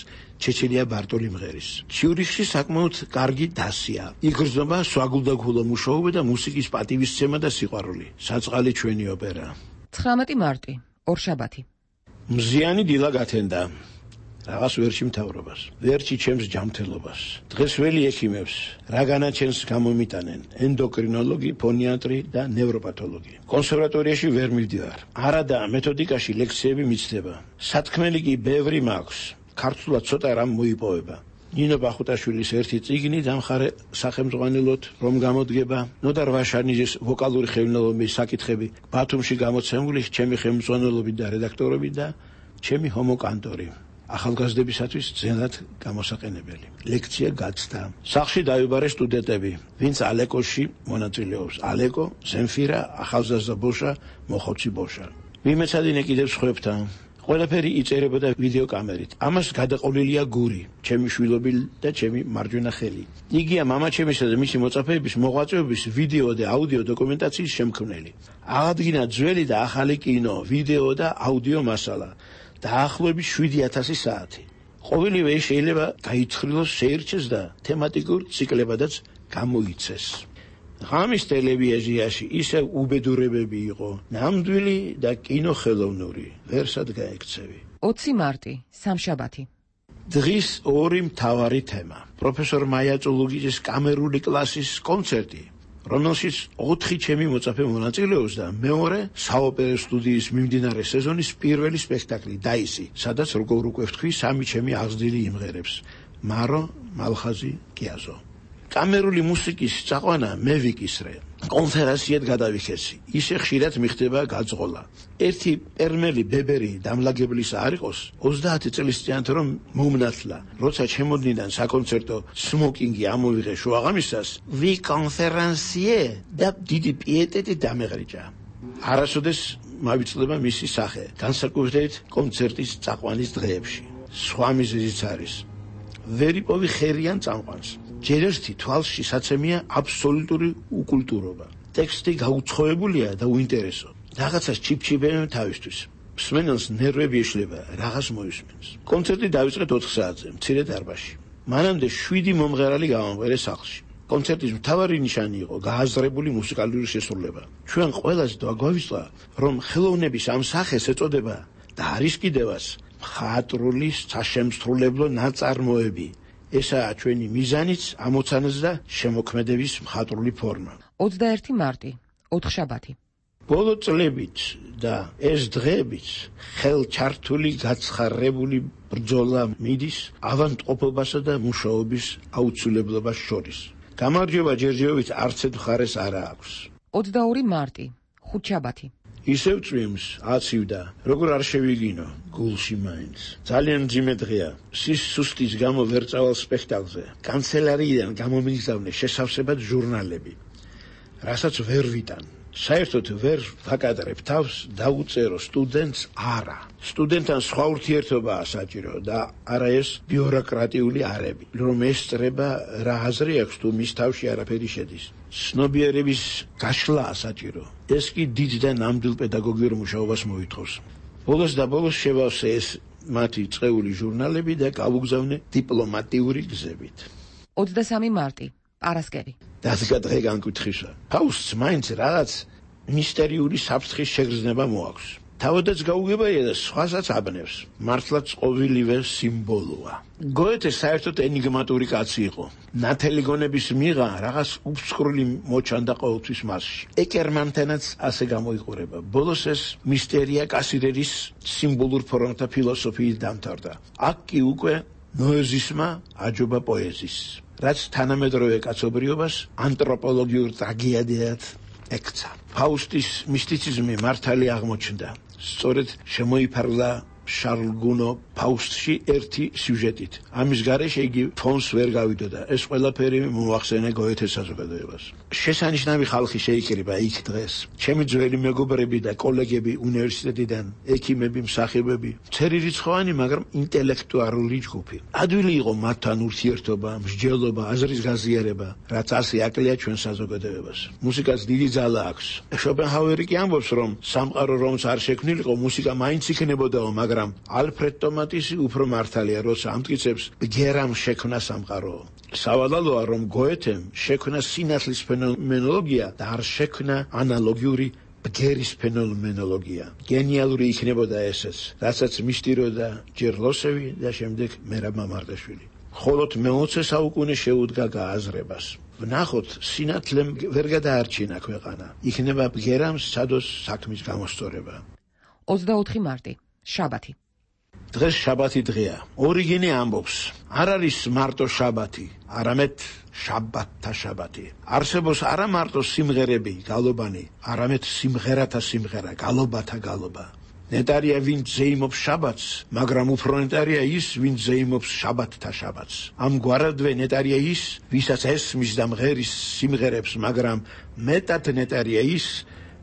S5: ჩეჩელია ბარტოლი მღერის. ციურიხში საკმაოდ კარგი დასია. იგრძნობა სვაგულდაგულო მუშაობა და მუსიკის პატივისცემა და სიყვარული. საწყალი ჩვენი ოპერა.
S18: 19 მარტი, ორშაბათი.
S5: მზიანი დილა გათენდა. რაღაც ვერში მთავრობას, ვერში ჩემს ჯანმრთელობას. დღეს ველი ექიმებს, რა განაჩენს გამომიტანენ: ენდოკრინოლოგი, ფონიატრი და ნევროპათოლოგი. კონსერვატორიაში ვერ მივდივარ. არადა მეთოდიკაში ლექციები მიცდება. სათქმელი კი ბევრი მაქვს. ქართულად ცოტა რამ მოიპოვება. ნინო ბახუტაშვილის ერთი წიგნი დამხარე სახელმძღვანელოდ რომ გამოდგება, ნოდარ ვაშანიძის ვოკალური ხელმძღვანელობის საკითხები ბათუმში გამოცემული ჩემი ხელმძღვანელობით და რედაქტორობით და ჩემი ჰომოკანტორი. ახალგაზრდებისათვის ძნელად გამოსაყენებელი. ლექცია გაცდა. სახლში დაიბარე სტუდენტები, ვინც ალეკოში მონაწილეობს. ალეკო, ზენფირა, ახალგაზრდა ბოშა, მოხოცი ბოშა. მიმეცადინე კიდევ სხვებთან. ყველაფერი იწერებოდა ვიდეო კამერით. ამას გადაყოლილია გური, ჩემი შვილობი და ჩემი მარჯვენა ხელი. იგია მამაჩემისა და მისი მოწაფეების მოღვაწეობის ვიდეო და აუდიო დოკუმენტაციის შემქმნელი. აღადგინა ძველი და ახალი კინო, ვიდეო და აუდიო მასალა. დაახლოებით 7000 საათი. ყოველივე შეიძლება გაიცხრილოს, შეირჩეს და თემატიკურ ციკლებადაც გამოიცეს. ღამის ტელევიზიაში ისევ უბედურებები იყო, ნამდვილი და კინოხელოვნური, ვერსად გაექცევი.
S18: 20 მარტი, სამშაბათი.
S5: დღის ორი მთავარი თემა. პროფესორ მაია წულუგიძის კამერული კლასის კონცერტი, რომელშიც 4 ჩემი მოწაფე მონაწილეობს და მეორე საოპერო სტუდიის მიმდინარე სეზონის პირველი სპექტაკლი დაისი, სადაც როგორ უკვე ვთქვი, 3 ჩემი აღზრდილი იმღერებს: მარო, მალხაზი, კიაზო. კამერული მუსიკის წაყვანა მე ვიკისრე. კონფერენციად გადავიქეცი. ისე ხშირად მიხდება გაძღოლა. ერთი პერმელი ბებერი დამლაგებლის არ იყოს 30 წლის წინათ რომ მომნათლა. როცა ჩემოდნიდან საკონცერტო სმოკინგი ამოვიღე შუაღამისას, ვი კონფერენციე და დიდი პიეტეტი დამეღრიჭა. არასოდეს მავიწლება მისი სახე, განსაკუთრებით კონცერტის წაყვანის დღეებში. სხვა მიზეზიც არის. ვერ იპოვი ხერიან წამყვანს. ჯერ ერთი თვალში საცემია აბსოლუტური უკულტურობა. ტექსტი გაუცხოებულია და უინტერესო. რაღაცას ჩიფჩიბებენ თავისთვის. მსმენელს ნერვები ეშლება, რაღაც მოისმენს. კონცერტი დაიწყეთ 4 საათზე, მცირე დარბაზში. მანამდე 7 მომღერალი გავამღერეს სახლში. კონცერტის მთავარი ნიშანი იყო გააზრებული მუსიკალური შესრულება. ჩვენ ყველას დაგვავიწყდა, რომ ხელოვნების ამ სახეს ეწოდება და არის კიდევაც მხატვრული საშემსრულებლო ნაწარმოები. ესაა ჩვენი მიზანიც, ამოცანაც და შემოქმედების მხატვრული ფორმა.
S18: 21 მარტი, 4 შაბათი.
S5: ბოლო წლებით და ეს დღეებიც ხელჩართული გაცხარებული ბრძოლა მიდის ავადმყოფობასა და მუშაობის აუცილებლობას შორის. გამარჯვება ჯერჯერობით არც ერთ მხარეს არ აქვს.
S18: 22 მარტი, 5 შაბათი.
S5: ისევ წვიმს, აცივდა, როგორ არ შევიგინო, გულში მაინც. ძალიან მძიმე დღეა. სუსტის გამო ვერ წავალ სპექტაკლზე. კანცელარიიდან გამომიგზავნე შესავსებად ჟურნალები. რასაც ვერ ვიტან. საერთოდ ვერ ვაკადრებ თავს დაუწერო სტუდენტს არა. სტუდენტთან სხვა ურთიერთობაა საჭირო და არა ეს ბიუროკრატიული არები, რომ ესწრება რა აზრი აქვს თუ მის თავში არაფერი შედის. ცნობიერების გაშლაა საჭირო. ეს კი დიდ და ნამდვილ პედაგოგიურ მუშაობას მოითხოვს. ბოლოს და ბოლოს შევავსე ეს მათი წეული ჟურნალები და გავუგზავნე დიპლომატიური გზებით.
S18: 23 მარტი, პარასკევი.
S5: დასგა დღე განკუთხისა. ფაუსტს მაინც რაღაც მისტერიული საფრთხის შეგრძნება მოაქვს. თავადაც გაუგებია და სხვასაც აბნევს. მართლაც ყოველივე სიმბოლოა. გოეთე საერთოდ ენიგმატური კაცი იყო. ნათელი გონების მიღა რაღაც უბსკრული მოჩანდა ყოველთვის მასში. ეკერმანთენაც ასე გამოიყურება. ბოლოს ეს მისტერია კასირერის სიმბოლურ ფორმათა ფილოსოფიით დამთავრდა. აქ კი უკვე ნოეზისმა აჯობა პოეზიის. რაც თანამედროვე კაცობრიობას ანთროპოლოგიურ ტრაგედიად ექცა. ფაუსტის მისტიციზმი მართალი აღმოჩნდა. სწორედ შემოიფარგლა შარლ გუნო ფაუსტში ერთი სიუჟეტით. ამის გარეშე იგი ფონს ვერ გავიდოდა. ეს ყველაფერი მოახსენე გოეთეს საზოგადოებას. შესანიშნავი ხალხი შეიკრიბა იქ დღეს. ჩემი ძველი მეგობრები და კოლეგები უნივერსიტეტიდან, ექიმები, მსახიობები, მცერი რიცხოვანი, მაგრამ ინტელექტუალური ჯგუფი. ადვილი იყო მათთან ურთიერთობა, მსჯელობა, აზრის გაზიარება, რაც ასე აკლია ჩვენ საზოგადოებას. მუსიკას დიდი ძალა აქვს. შოპენჰაუერი კი ამბობს, რომ სამყარო რომც არ შექმნილიყო, მუსიკა მაინც იქნებოდაო, მაგრამ ალფრედ ტომატისი უფრო მართალია, როცა ამტკიცებს ბგერამ შექმნა სამყარო. სავალალოა, რომ გოეთემ შექმნა სინათლის ფენომენოლოგია და არ შექმნა ანალოგიური ბგერის ფენომენოლოგია. გენიალური იქნებოდა ესეც, რასაც მისტიროდა ჯერ ლოსევი და შემდეგ მერაბ მამარდაშვილი. ხოლოდ მე-20 საუკუნე შეუდგა გააზრებას. ვნახოთ, სინათლემ ვერ გადაარჩინა ქვეყანა. იქნება ბგერამ სადოს საქმის გამოსწორება.
S18: 24 მარტი, შაბათი.
S5: დღეს შაბათი დღეა. ორიგინი ამბობს, არ არის მარტო შაბათი, არამედ შაბათთა შაბათი. არსებობს არა მარტო სიმღერები, გალობანი, არამედ სიმღერათა სიმღერა, გალობათა გალობა. ნეტარია ვინც ზეიმობს შაბათს, მაგრამ უფრო ნეტარია ის, ვინც ზეიმობს შაბათთა შაბათს. ამგვარადვე ნეტარია ის, ვისაც ესმის და მღერის სიმღერებს, მაგრამ მეტად ნეტარია ის,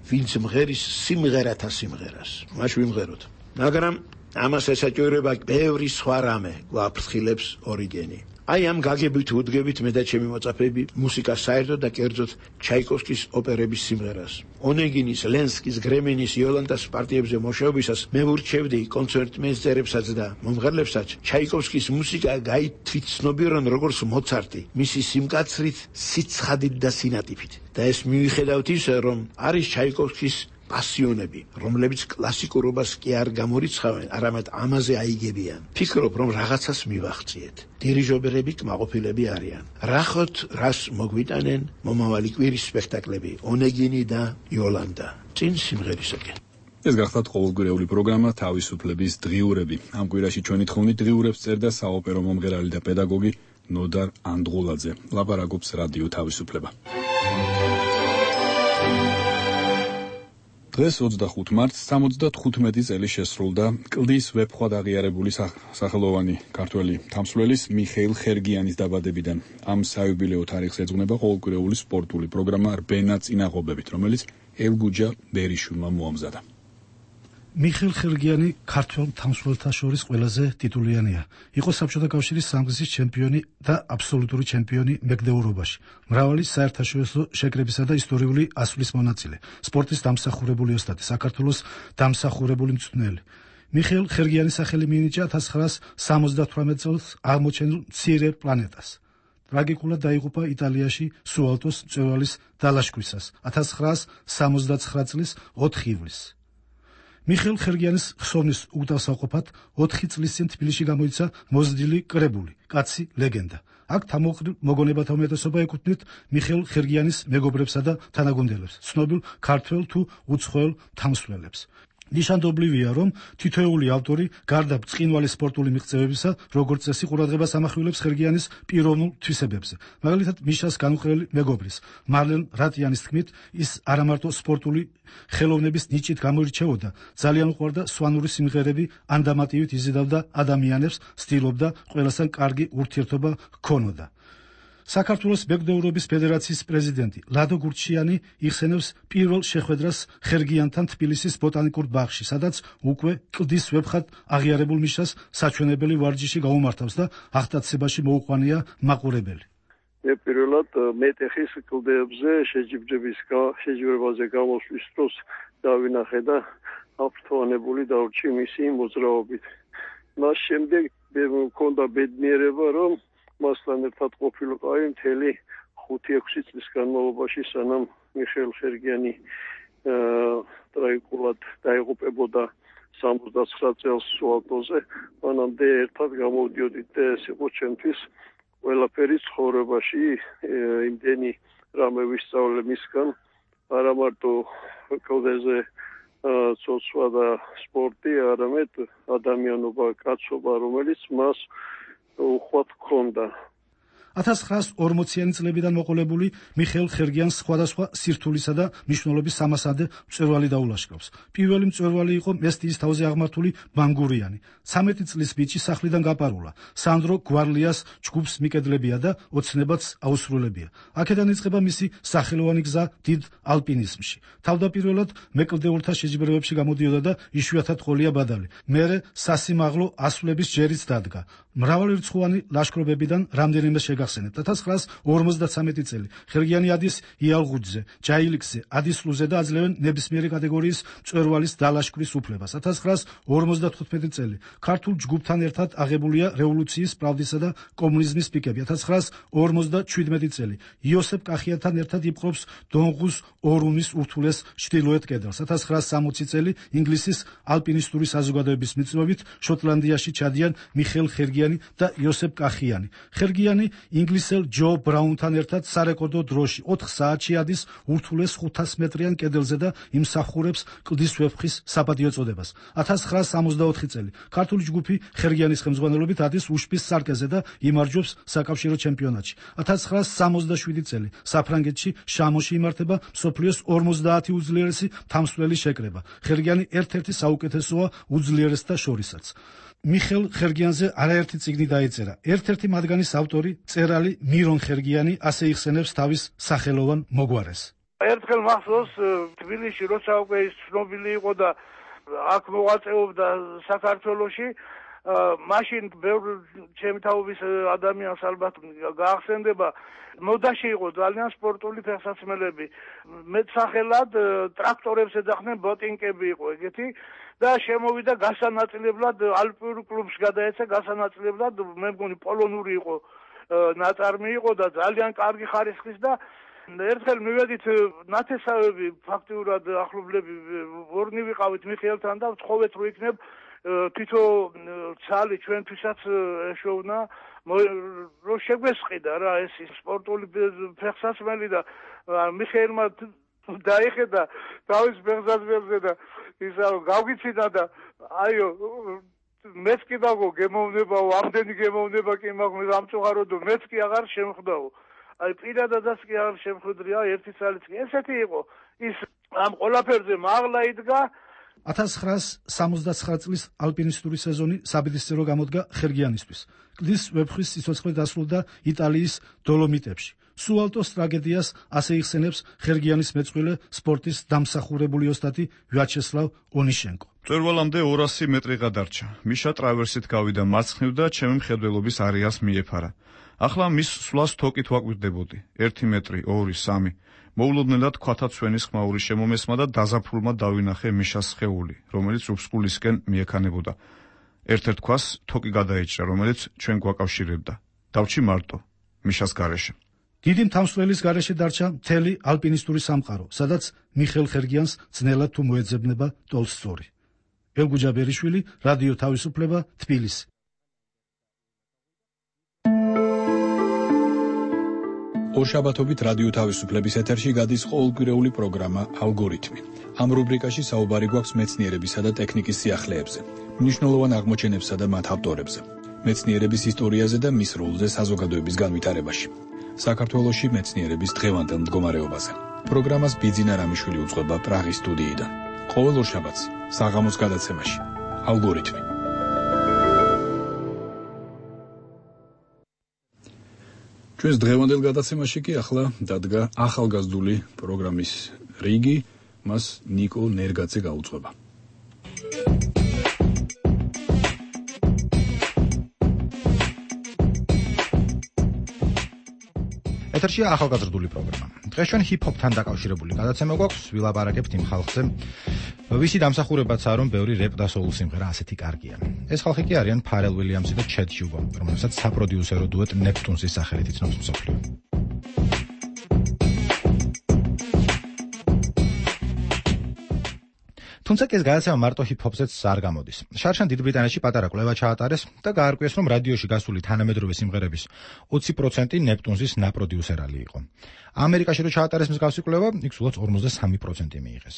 S5: ვინც მღერის სიმღერათა სიმღერას. მაშ ვიმღეროთ. მაგრამ ამას ესაჭიროება ბევრი სხვა რამე, გვაფრთხილებს ორიგენი. აი ამ გაგებით უდგებით მე და ჩემი მოწაფეები მუსიკას საერთოდ და კერძოდ ჩაიკოვსკის ოპერების სიმღერას. ონეგინის, ლენსკის, გრემენის, იოლანტას პარტიებზე მოშოებისას მე ვურჩევდი კონცერტმეისტერებსაც და მომღერლებსაც ჩაიკოვსკის მუსიკა გაითვითცნობიერონ როგორც მოცარტი, მისი სიმკაცრით, სიცხადით და სინატიფით. და ეს მივიხედავთ ისე, რომ არის ჩაიკოვსკის პასიონები, რომლებიც კლასიკურობას კი არ გამორიცხავენ, არამედ ამაზე აიგებიან. ფიქრობ, რომ რაღაცას მივახციეთ. დირიჟორები კმაყოფილები არიან. რახოთ, რას მოგვიტანენ მომავალი კვირის სპექტაკლები, ონეგინი და იოლანტა. წინ სიმღერისაკენ.
S1: ეს გახლავთ ყოველკვირეული პროგრამა თავისუფლების დღიურები. ამ კვირაში ჩვენი თხოვნით დღიურებს წერდა საოპერო მომღერალი და პედაგოგი ნოდარ ანდღულაძე. ლაპარაკობს რადიო თავისუფლება. დღეს 25 მარტს 75 წელი შესრულდა კლდის ვეფხვად აღიარებული სახელოვანი ქართველი თამსვლელის მიხეილ ხერგიანის დაბადებიდან. ამ საიუბილეო თარიღს ეძღვნება ყოველკვირეული სპორტული პროგრამა რბენა წინაღობებით, რომელიც ელგუჯა ბერიშვილმა მოამზადა.
S19: მიხეილ ხერგიანი ქართველ თამსვლელთა შორის ყველაზე ტიტულიანია. იყო საბჭოთა კავშირის სამგზის ჩემპიონი და აბსოლუტური ჩემპიონი მეგდეურობაში. მრავალი საერთაშორისო შეკრებისა და ისტორიული ასვლის მონაწილე. სპორტის დამსახურებული ოსტატი, საქართველოს დამსახურებული მწვრთნელი. მიხეილ ხერგიანის სახელი მიენიჭა 1978 წელს აღმოჩენილ მცირე პლანეტას. ტრაგიკულად დაიღუპა იტალიაში სუალტოს მწვერვალის დალაშქვისას 1979 წლის 4 ივლისს. მიხეილ ხერგიანის ხსოვნის უგდავსაყოფად 4 წლის წინ თბილისში გამოიცა მოზრდილი კრებული კაცი ლეგენდა. აქ თამოყრილ მოგონებათა უმეტესობა ეკუთვნით მიხეილ ხერგიანის მეგობრებსა და თანაგუნდელებს, ცნობილ ქართველ თუ უცხოელ თამსვლელებს. ნიშანდობლივია, რომ თითოეული ავტორი გარდა ბრწყინვალე სპორტული მიღწევებისა, როგორც წესი ყურადღებას ამახვილებს ხერგიანის პიროვნულ თვისებებზე. მაგალითად, მიშას განუყრელი მეგობრის, მარლენ რატიანის თქმით, ის არამარტო სპორტული ხელოვნების ნიჭით გამოირჩეოდა, ძალიან უყვარდა სვანური სიმღერები, ანდამატივით იზიდავდა ადამიანებს, ცდილობდა ყველასთან კარგი ურთიერთობა ჰქონოდა. საქართველოს მეგდეურობის ფედერაციის პრეზიდენტი ლადო გურჩიანი იხსენებს პირველ შეხვედრას ხერგიანთან თბილისის ბოტანიკურ ბაღში, სადაც უკვე კლდის ვებხად აღიარებულ მიშას საჩვენებელი ვარჯიში გაუმართავს და აღტაცებაში მოუყვანია მაყურებელი.
S20: მე პირველად მეტეხის კლდეებზე შეჯიბრებაზე გამოსვლის დროს დავინახე და აფრთოვანებული დავრჩი მისი მოძრაობით. მას შემდეგ მქონდა ბედნიერება, რომ მასთან ერთად ყოფილიყავი მთელი 5-6 წლის განმავლობაში, სანამ მიხეილ ხერგიანი ტრაგიკულად დაიღუპებოდა 79 წელს სუალტოზე. მანამდე ერთად გამოვდიოდით და ეს იყო ჩემთვის ყველაფერი ცხოვრებაში, იმდენი რამე ვისწავლე მისგან, არა მარტო კლდეზე ცოცვა და სპორტი, არამედ ადამიანობა, კაცობა, რომელიც მას უხვად ჰქონდა.
S19: 1940-იანი წლებიდან მოყოლებული მიხეილ ხერგიანს სხვადასხვა სირთულისა და მნიშვნელობის სამასადე მწვერვალი დაულაშქრავს. პირველი მწვერვალი იყო მესტიის თავზე აღმართული ბანგურიანი. 13 წლის ბიჭი სახლიდან გაპარულა. სანდრო გვარლიას ჯგუფს მიკედლებია და ოცნებაც აუსრულებია. აქედან იწყება მისი სახელოვანი გზა დიდ ალპინიზმში. თავდაპირველად მეკლდეურთა შეჯიბრებებში გამოდიოდა და იშვიათად ყოლია ბადალი. მერე სასიმაღლო ასვლების ჯერიც დადგა. მრავალრიცხოვანი ლაშქრობებიდან რამდენიმე შეგახსენებთ. 1953 წელი ხერგიანი ადის იალღუძზე, ჯაილიქზე, ადისლუზე და აძლევენ ნებისმიერი კატეგორიის მწვერვალის დალაშქრის უფლებას. 1955 წელი ქართულ ჯგუფთან ერთად აღებულია რევოლუციის, პრავდისა და კომუნიზმის პიკები. 1957 წელი იოსებ კახიათთან ერთად იპყრობს დონღუს ორუნის ურთულეს ჩრდილოეთ კედელს. 1960 წელი ინგლისის ალპინისტური საზოგადოების მიწვევით შოტლანდიაში ჩადიან მიხეილ ხერგიანი და იოსებ კახიანი. ხერგიანი ინგლისელ ჯო ბრაუნთან ერთად სარეკორდო დროში 4 საათში ადის ურთულეს 500 მეტრიან კედელზე და იმსახურებს კლდის ვეფხის საპატიო წოდებას. 1964 წელი ქართული ჯგუფი ხერგიანის ხელმძღვანელობით ადის უშბის სარკეზე და იმარჯვებს საკავშირო ჩემპიონატში. 1967 წელი საფრანგეთში შამოში იმართება მსოფლიოს 50 უძლიერესი თამსვლელის შეკრება. ხერგიანი ერთ-ერთი საუკეთესოა უძლიერესთა შორისაც. მიხეილ ხერგიანზე არაერთი წიგნი დაეწერა. ერთ-ერთი მათგანის ავტორი მწერალი მირონ ხერგიანი ასე იხსენებს თავის სახელოვან მოგვარეს.
S11: ერთხელ მახსოვს თბილისში, როცა უკვე ის ცნობილი იყო და აქ მოღვაწეობდა საქართველოში, მაშინ ბევრ ჩემი თაობის ადამიანს ალბათ გაახსენდება, მოდაში იყო ძალიან სპორტული ფეხსაცმელები. მეტსახელად ტრაქტორებს ეძახდნენ, ბოტინკები იყო ეგეთი და შემოვიდა გასანაწილებლად ალპიურ კლუბს გადაეცა, გასანაწილებლად მე მგონი პოლონური იყო ნაწარმი იყო და ძალიან კარგი ხარისხის და ერთხელ მივედით ნათესავები, ფაქტიურად ახლობლები ორნი ვიყავით მიხეილთან და ვთხოვეთ რომ იქნებ თითო ცალი ჩვენთვისაც ეშოვნა რომ შეგვესყიდა რა ეს სპორტული ფეხსაცმელი და მიხეილმა დაიხედა თავის ფეხსაცმელზე და ისა გავგიჩინა და აიო მეც კი დაგო გემოვნებაო, ამდენი გემოვნება კი მაქვს ამწუხარო და მეც კი აღარ შემხვდაო. აი პირადადაც კი აღარ შემხვდრია ერთი წელიც კი. ესეთი იყო ის ამ ყველაფერზე მაღლა იდგა.
S19: 1969 წლის ალპინისტური სეზონი საბედისწერო გამოდგა ხერგიანისთვის. კლდის ვეფხვის სიცოცხლე დასრულდა იტალიის დოლომიტებში. სუალტოს ტრაგედიას ასე იხსენებს ხერგიანის მეწყვილე სპორტის დამსახურებული ოსტატი ვიაჩესლავ ონიშენკო.
S4: მწვერვალამდე 200 მეტრიღა დარჩა. მიშა ტრავერსით გავიდა მარცხნივ და ჩემი მხედველობის არეალს მიეფარა. ახლა მის სვლას თოკით ვაკვირდებოდი. 1 მეტრი, 2, 3. მოულოდნელად ქვათაცვენის ხმაური შემომესმა და დაზაფხულმა დავინახე მიშას სხეული, რომელიც უფსკულისკენ მიექანებოდა. ერთ-ერთ ქვას თოკი გადაეჭრა, რომელიც ჩვენ გვაკავშირებდა. დავჭი მარტო, მიშას გარეშე.
S19: დიდი მთამსვლელის გარეშე დარჩა მთელი ალპინისტური სამყარო, სადაც მიხეილ ხერგიანს ძნელად თუ მოეძებნება ტოლსტოი. ელგუჯა ბერიშვილი, რადიო თავისუფლება, თბილისი.
S1: ორშაბათობით რადიო თავისუფლების ეთერში გადის ყოველკვირეული პროგრამა ალგორითმი. ამ რუბრიკაში საუბარი გვაქვს მეცნიერებისა და ტექნიკის სიახლეებზე, მნიშვნელოვან აღმოჩენებსა და მათ ავტორებზე, მეცნიერების ისტორიაზე და მის როლზე საზოგადოების განვითარებაში. საქართველოში მეცნიერების დღევანდელ მდგომარეობაზე. პროგრამას ბიძინა რამიშვილი უძღვება პრაღის სტუდიიდან. ყოველ ორშაბათს საღამოს გადაცემაში ალგორითმი. ჩვენს დღევანდელ გადაცემაში კი ახლა დადგა ახალგაზრდული პროგრამის რიგი, მას ნიკო ნერგაძე გაუძღვება.
S19: ეთერშია ახალგაზრდული პროგრამა. დღეს ჩვენ ჰიპ-ჰოპთან დაკავშირებული გადაცემა გვაქვს, ვილაპარაკებთ იმ ხალხზე, ვისი დამსახურებაცაა, რომ ბევრი რეპ და soul სიმღერა ასეთი კარგია. ეს ხალხი კი არიან ფარელ უილიამსი და ჩედ ჰიუგო, რომელსაც საპროდიუსერო დუეტ ნეპტუნსის სახელით იცნობს მსოფლიო. თუმცა ეს გადაცემა მარტო ჰიპ-ჰოპზეც არ გამოდის. შარშან დიდ ბრიტანეთში პატარა კვლევა ჩაატარეს და გაარკვიეს, რომ რადიოში გასული თანამედროვე სიმღერების 20% ნეპტუნსის ნაპროდიუსერალი იყო. ამერიკაში რო ჩაატარეს მსგავსი კვლევა, იქ სულაც 53% მიიღეს.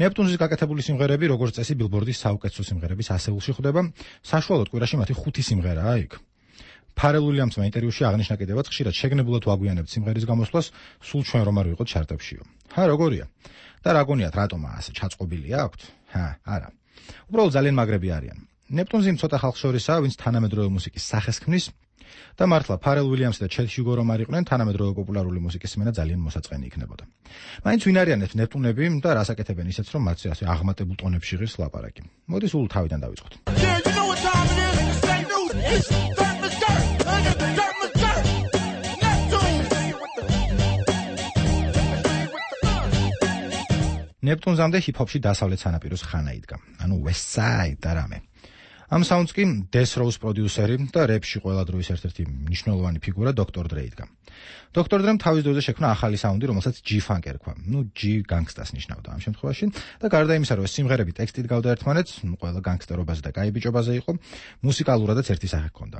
S19: ნეპტუნსის გაკეთებული სიმღერები, როგორც წესი, ბილბორდის საუკეთესო სიმღერების ასეულში ხვდება, საშუალოდ კვირაში მათი 5 სიმღერაა იქ. ფარელ უილიამსმა ინტერვიუში აღნიშნა კიდევაც, ხშირად შეგნებულად ვაგვიანებთ სიმღერის გამოსვლას, სულ ჩვენ რომ არ ვიყოთ ჩარტებშიო. როგორია? და რა გონიათ, რატომა ასე ჩაწყობილი აქვთ? არა. უბრალოდ ძალიან მაგრები არიან. ნეპტუნზი ცოტა ხალხს შორისაა, ვინც თანამედროვე მუსიკის სახეს ქმნის და მართლა ფარელ უილიამსი და ჩედ ჰიუგო რომ არ იყვნენ, თანამედროვე პოპულარული მუსიკის სმენა ძალიან მოსაწყენი იქნებოდა. მაინც ვინ არიან ეს ნეპტუნები და რას აკეთებენ ისეც, რომ მათზე ასე აღმატებულ ტონებში ღირს ლაპარაკი. მოდი სულ თავიდან დავიწყოთ. ნეპტუნზამდე ჰიპ-ჰოპში დასავლეთ სანაპიროს ხანა იდგა, ანუ West Side და რამე. ამ საუნდს კი Death Row's პროდიუსერი და რეპში ყველა დროის ერთ-ერთი მნიშვნელოვანი ფიგურა Dr. Dre იდგა. Dr. Dre-მ თავის დროზე შექმნა ახალი საუნდი, რომელსაც G-Funk ერქვა. G gangsters ნიშნავდა ამ შემთხვევაში და გარდა იმისა, რომ ეს სიმღერები ტექსტით გავდა ერთმანეთს, ყველა განგსტერობაზე და კაი ბიჭობაზე იყო, მუსიკალურადაც ერთი სახე ჰქონდა.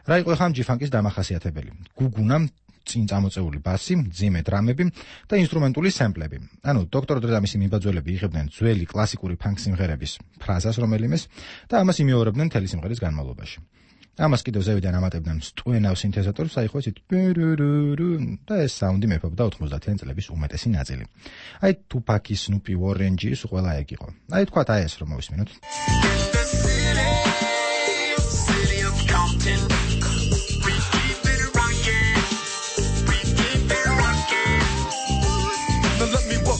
S19: რა იყო ხამ G-Funk-ის დამახასიათებელი? გუგუნა, წინ წამოწეული ბასი, მძიმე დრამები და ინსტრუმენტული სემპლები. ანუ Dr. Dre და მისი მიმბაძველები იღებდნენ ძველი კლასიკური ფანკ სიმღერების ფრაზას რომელიმეს და ამას იმეორებდნენ მთელი სიმღერის განმავლობაში. ამას კიდევ ზევიდან ამატებდნენ სტუენავ სინთეზატორს, აი ხო ისეთ და ეს საუნდი მეფობდა 90-იან წლების უმეტესი ნაწილი. აი Tupac-ის, Snoopy, Warren G-ის ყველა ეგ იყო. აი თქვათ აი ეს რომ მოვისმინოთ.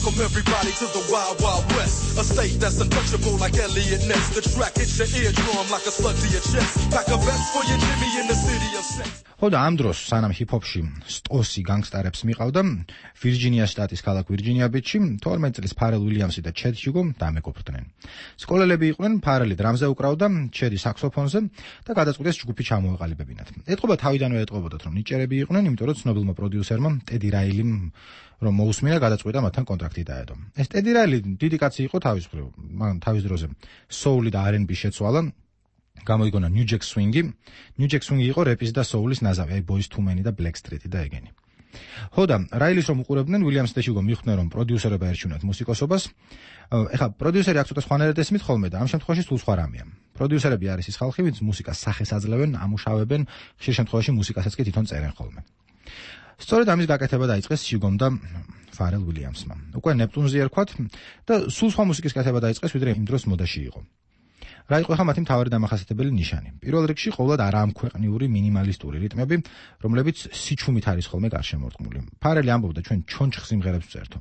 S21: Welcome everybody to the Wild Wild West, a state that's untouchable like Elliot Ness. The track hits your eardrum like a slug to your chest. Pack a vest for your Jimmy in the city of sex.
S19: ხოდა ამ დროს სანამ ჰიპ-ჰოპში სტოსი განგსტერებს მიყავდა, ვირჯინიას შტატის ქალაქ ვირჯინია ბიჩში 12 წლის ფარელ უილიამსი და ჩედ ჰიუგო დამეგობრდნენ. სკოლელები იყვნენ, ფარელი დრამზე უკრავდა, ჩედი საქსოფონზე და გადაწყვიტეს ჯგუფი ჩამოეყალიბებინათ. ეთყობა თავიდანვე ეტყობოდათ, რომ ნიჭერები იყვნენ, იმიტომ რომ ცნობილმა პროდიუსერმა ტედი რაილიმ რომ მოусმინა გადაწყვიტა მათთან კონტრაქტი დაედო. ეს ტედი რაილი დიდი კაცი იყო თავის მხრივ, მაგრამ თავის დროზე soul-ი და R&B შეცვალა. გამოიგონა New Jack Swing-ი. New Jack Swing-ი იყო რეპის და soul-ის ნაზავი, აი Boyz II Men-ი და Blackstreet-ი და ეგენი. ხოდა რაილის რომ უყურებდნენ, უილიამსი და ჰიუგო მიხვდნენ რომ პროდიუსერობა ერჩუნათ მუსიკოსობას. ეხლა პროდიუსერი აქ ცოტა სხვანაირად ესმით ხოლმე და ამ შემთხვევაში სულ სხვა რამეა. პროდიუსერები არის ის ხალხი, ვინც მუსიკას სახეს აძლევენ, ამუშავებენ, ხშირ შემთხვევაში მუსიკასაც კი თვითონ წერენ ხოლმე. სწორედ ამის გაკეთება დაიწყეს ჰიუგომ და ფარელ უილიამსმა. უკვე ნეპტუნზი ერქვათ და სულ სხვა მუსიკის კეთება დაიწყეს, ვიდრე იმ დროს მოდაში იყო. რა იყო ხა მათი მთავარი დამახასიათებელი ნიშანი? პირველ რიგში ყოველად არაამქვეყნიური მინიმალისტური რიტმები, რომლებიც სიჩუმით არის ხოლმე გარშემორტყმული. ფარელი ამბობდა ჩვენ ჩონჩხ სიმღერებს ვწერთო.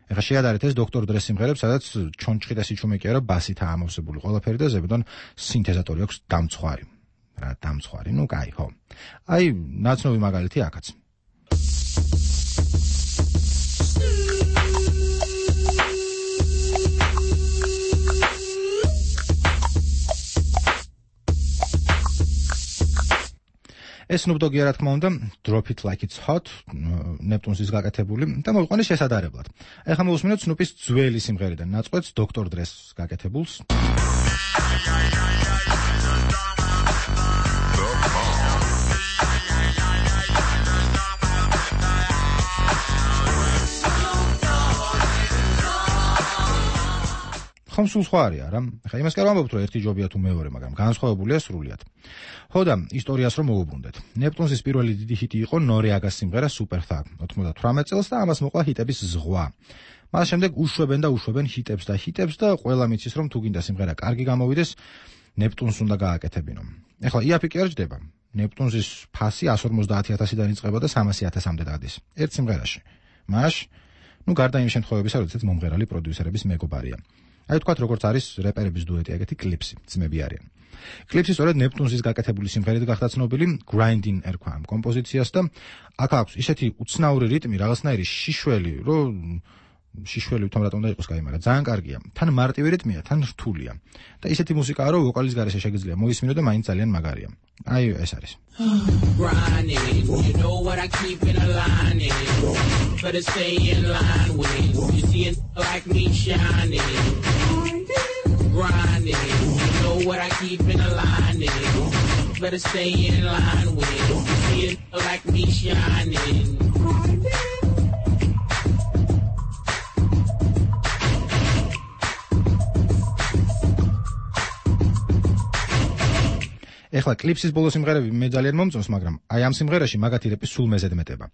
S6: ეხლა შეადარეთ ეს დოქტორ დრეს სიმღერებს, სადაც ჩონჩხი და სიჩუმე კი არა, ბასითაა ამოვსებული ყველაფერი და ზებედან სინთეზატორი აქვს დამცხვარი. რა დამცხვარი, ну კაი, ხო. აი, ნაცნობი მაგალითი აქაც. ეს Snoop Dogg-ია რა თქმა უნდა, Drop It Like It's Hot, ნეპტუნსის გაკეთებული და მოვიყვანე შესადარებლად. ეხლა მოვუსმინოთ Snoop-ის ძველი სიმღერიდან ნაწყვეტს Dr. Dre-ს გაკეთებულს. ხომ სულ სხვა არია რა. ხა იმას კი არ ვამბობთ, რომ ერთი ჯობია თუ მეორე, მაგრამ განსხვავებულია სრულიად. ხო და ისტორიას რომ მოვუბრუნდეთ. ნეპტუნსის პირველი დიდი ჰიტი იყო Noriega-ს სიმღერა Super Thug 98 წელს და ამას მოყვა ჰიტების ზღვა. მას შემდეგ უშვებენ ჰიტებს და ყველა მიცის რომ თუ გინდა სიმღერა კარგი გამოვიდეს, ნეპტუნს უნდა გააკეთებინო. ეხლა იაფი კი არ ჯდება. ნეპტუნსის ფასი 150,000-დან იწყება და 300,000-მდე დადის. ერთ სიმღერაში. მაშ, გარდა იმ შემთხვევებისა, როდესაც მომღერალი პროდიუსერების მეგობარია. აი თქვათ როგორც არის რეპერების დუეტი ეგეთი კლიპსი, ძმები არიან. კლიპსი სწორედ ნეპტუნსის გაკეთებული სიმღერით გახდა ცნობილი, Grinding ერქვა ამ კომპოზიციას და აქ აქვს ისეთი უცნაური რიტმი, რაღაცნაირი შიშველი, რომ შიშველი თვითონ რატომ და იყოს კაი, მაგრამ ძალიან კარგია. თან მარტივი რიტმია, თან რთულია. და ისეთი მუსიკაა, რომ ვოკალის გარეშე შეგიძლია მოისმინო და მაინც ძალიან მაგარია. აი ეს არის.
S22: Grinding, you know what I keep in a line. Better stay in line with. You see it like me shining. Grinding, you know what I keep in a line. Better stay in line with. You see it like me shining.
S6: ეხლა კლიპსის ბოლო სიმღერები მე ძალიან მომწონს, მაგრამ აი ამ სიმღერაში მაგათი რეპი სულ მეზედმეტება.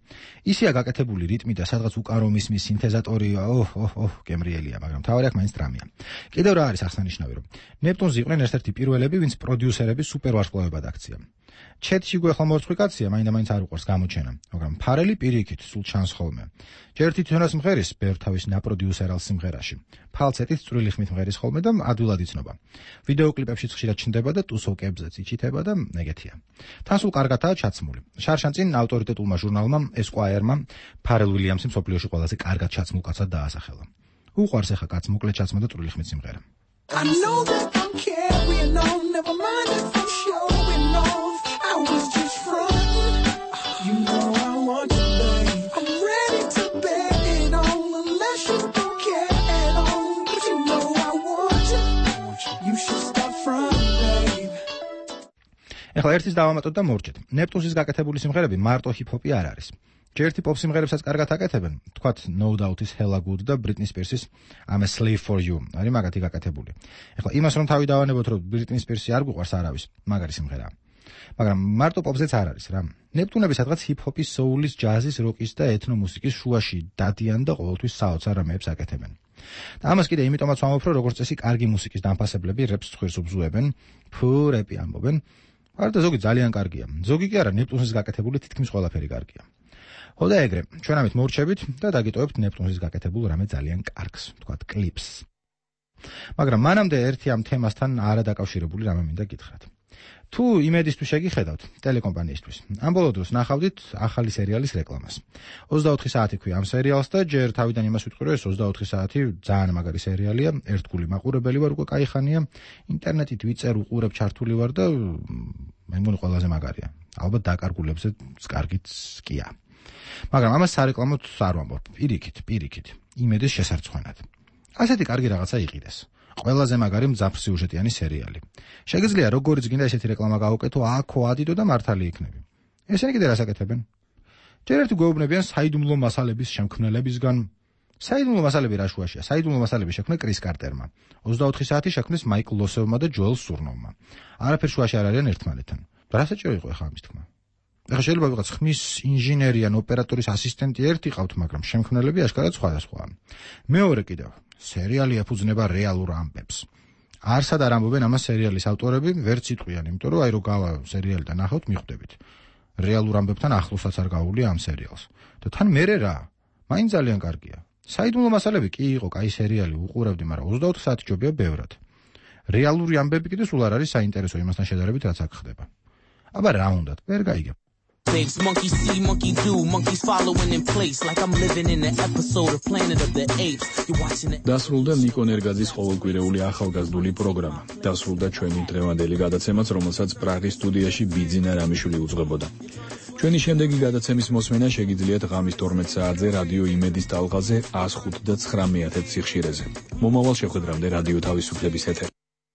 S6: ისია გაკეთებული რიტმი და სადღაც უკარო მისმის სინთეზატორი, გემრიელია, მაგრამ თავი აქ მაინც დრამია. კიდევ რა არის აღსანიშნავი, რომ ნეპტუნსი იყვნენ ერთ-ერთი პირველები, ვინც პროდიუსერების სუპერვარსკვლავებად აქცია. ჩეთში გვეხლა მორცხვი კაცია, მაინდა-მაინც არ უყვარს გამოჩენა, მაგრამ ფარელი პირიქით სულ ჩანს ხოლმე. ჯერ თვითონაც მღერის ბევრთავის ნაპროდიუსერალ სიმღერაში. ფალცეტით წვრილი ხმით მღერის ხოლმე და ადვილად იცნობა. ვიდეო კლიპებში ხშირად ჩნდება და ტუსოვკებზეც იჩითება და ეგეთია. თან სულ კარგადაა ჩაცმული. შარშან წინ ავტორიტეტულმა ჟურნალმა Esquire-მა ფარელ უილიამსი მსოფლიოში ყველაზე კარგად ჩაცმულ კაცად დაასახელა. უყვარს ახლა კაც მოკლედ ჩაცმა და წვრილი ხმით სიმღერა.
S21: I know that I'm carrying on, never mind if I'm showing off. I was just front. You know I want you, babe. I'm ready to bet it on, unless you don't care at all. But you know I want you. You should stop front, babe.
S6: ეხლა ერთის დავამატოთ და მორჩეთ. ნეპტუნსის გაკეთებული სიმღერები მარტო ჰიპ-ჰოპი არ არის. ჯერთი პოპ სიმღერებსაც კარგად აკეთებენ, თქვათ No Doubt-ის Hella Good და Britney Spears-ის I'm a Slave for You. არის მაგათი გაკეთებული. ეხლა იმას რომ თავი დავანებოთ, რომ Britney Spears-ი არ გვიყვარს არავის, მაგარი სიმღერაა. მაგრამ მარტო პოპზეც არ არის რა. ნეპტუნები სადღაც ჰიპ-ჰოპის, soul-ის, ჯაზის, როკის და ეთნო მუსიკის შუაში დადიან და ყოველთვის საოცარ რამეებს აკეთებენ. და ამას კიდე იმიტომაც ვამბობ, რომ როგორც წესი კარგი მუსიკის დამფასებლები რეპს ცხვრს უბზუებენ, რეპი ამბობენ. არდა ზოგი ძალიან კარგია. ზოგი კი არა, ნეპტუნსის გაკეთებული თითქმის ყველაფერი კარგია. ხო და ეგრე, ჩვენ ამით მორჩებით და დაგიტოვებთ ნეპტუნსის გაკეთებულ რამე ძალიან კარგს, თქვათ კლიპს. მაგრამ მანამდე ერთი ამ თემასთან არადაკავშირებული რამე მინდა გითხრათ. თუ იმედისთვის შეგიხედავთ, ტელეკომპანიისთვის, ამ ბოლო დროს ნახავდით ახალი სერიალის რეკლამას. 24 საათი ქვია ამ სერიალს და ჯერ თავიდან იმას ვიტყვი, რომ ეს 24 საათი ძალიან მაგარი სერიალია, ერთგული მაყურებელი ვარ უკვე კაი ხანია, ინტერნეტით ვიწერ, უყურებ, ჩართული ვარ და მე მგონი ყველაზე მაგარია. ალბათ დაკარგულებზე კარგიც კია. მაგრამ ამას სარეკლამოდ არ ვამბობ, პირიქით, იმედის შესარცხვენად. ასეთი კარგი რაღაცა იყიდეს. ყველაზე მაგარი მძაფრ სიუჟეტიანი სერიალი. შეგიძლია როგორიც გინდა ესეთი რეკლამა გაუკეთო, აქო ადიდო და მართალი იქნები. ესენი კიდე რას აკეთებენ? ჯერ ერთი გვეუბნებიან საიდუმლო მასალების შემქმნელებისგან. საიდუმლო მასალები რა შუაშია? საიდუმლო მასალები შექმნა კრის კარტერმა. 24 საათი შექმნეს მაიკლ ლოსევმა და ჯოელ სურნოვმა. არაფერ შუაში არ არიან ერთმანეთთან. რა საჭირო იყო ახლა ამის თქმა? ახლა შეიძლება ვიღაც ხმის ინჟინერი ან ოპერატორის ასისტენტი ერთი ყავთ, მაგრამ შემქმნელები აშკარად სხვადასხვაა. მეორე კიდევ, სერიალი ეფუძნება რეალურ ამბებს. არსად არ ამბობენ ამას სერიალის ავტორები, ვერც იტყვიან, იმიტომ რომ აი რო გავა სერიალი და ნახავთ, მიხვდებით. რეალურ ამბებთან ახლოსაც არ გაუვლია ამ სერიალს. და თან მერე რა? მაინც ძალიან კარგია. საიდუმლო მასალები კი იყო, კაი სერიალი უყურებდი, მაგრამ 24 საათი ჯობია ბევრად. რეალური ამბები კიდე სულ არ არის საინტერესო იმასთან შედარებით, რაც აქ ხდება. აბა რა უნდათ, ვერ გაიგებ.
S21: Monkey see, monkey do, monkeys following in place like I'm living in an episode of Planet of the Apes. You watching it.
S1: დასრულდა ნიკო ნერგაძის ყოველკვირეული ახალგაზრდული პროგრამა. დასრულდა ჩვენი დღევანდელი გადაცემაც, რომელსაც პრაღის სტუდიაში ბიძინა რამიშვილი უძღვებოდა. ჩვენი შემდეგი გადაცემის მოსმენა შეგიძლიათ ღამის 12 საათზე რადიო იმედის ტალღაზე 105 და 9 სიხშირეზე. მომავალ შეხვედრამდე რადიო თავისუფლების ეთერი.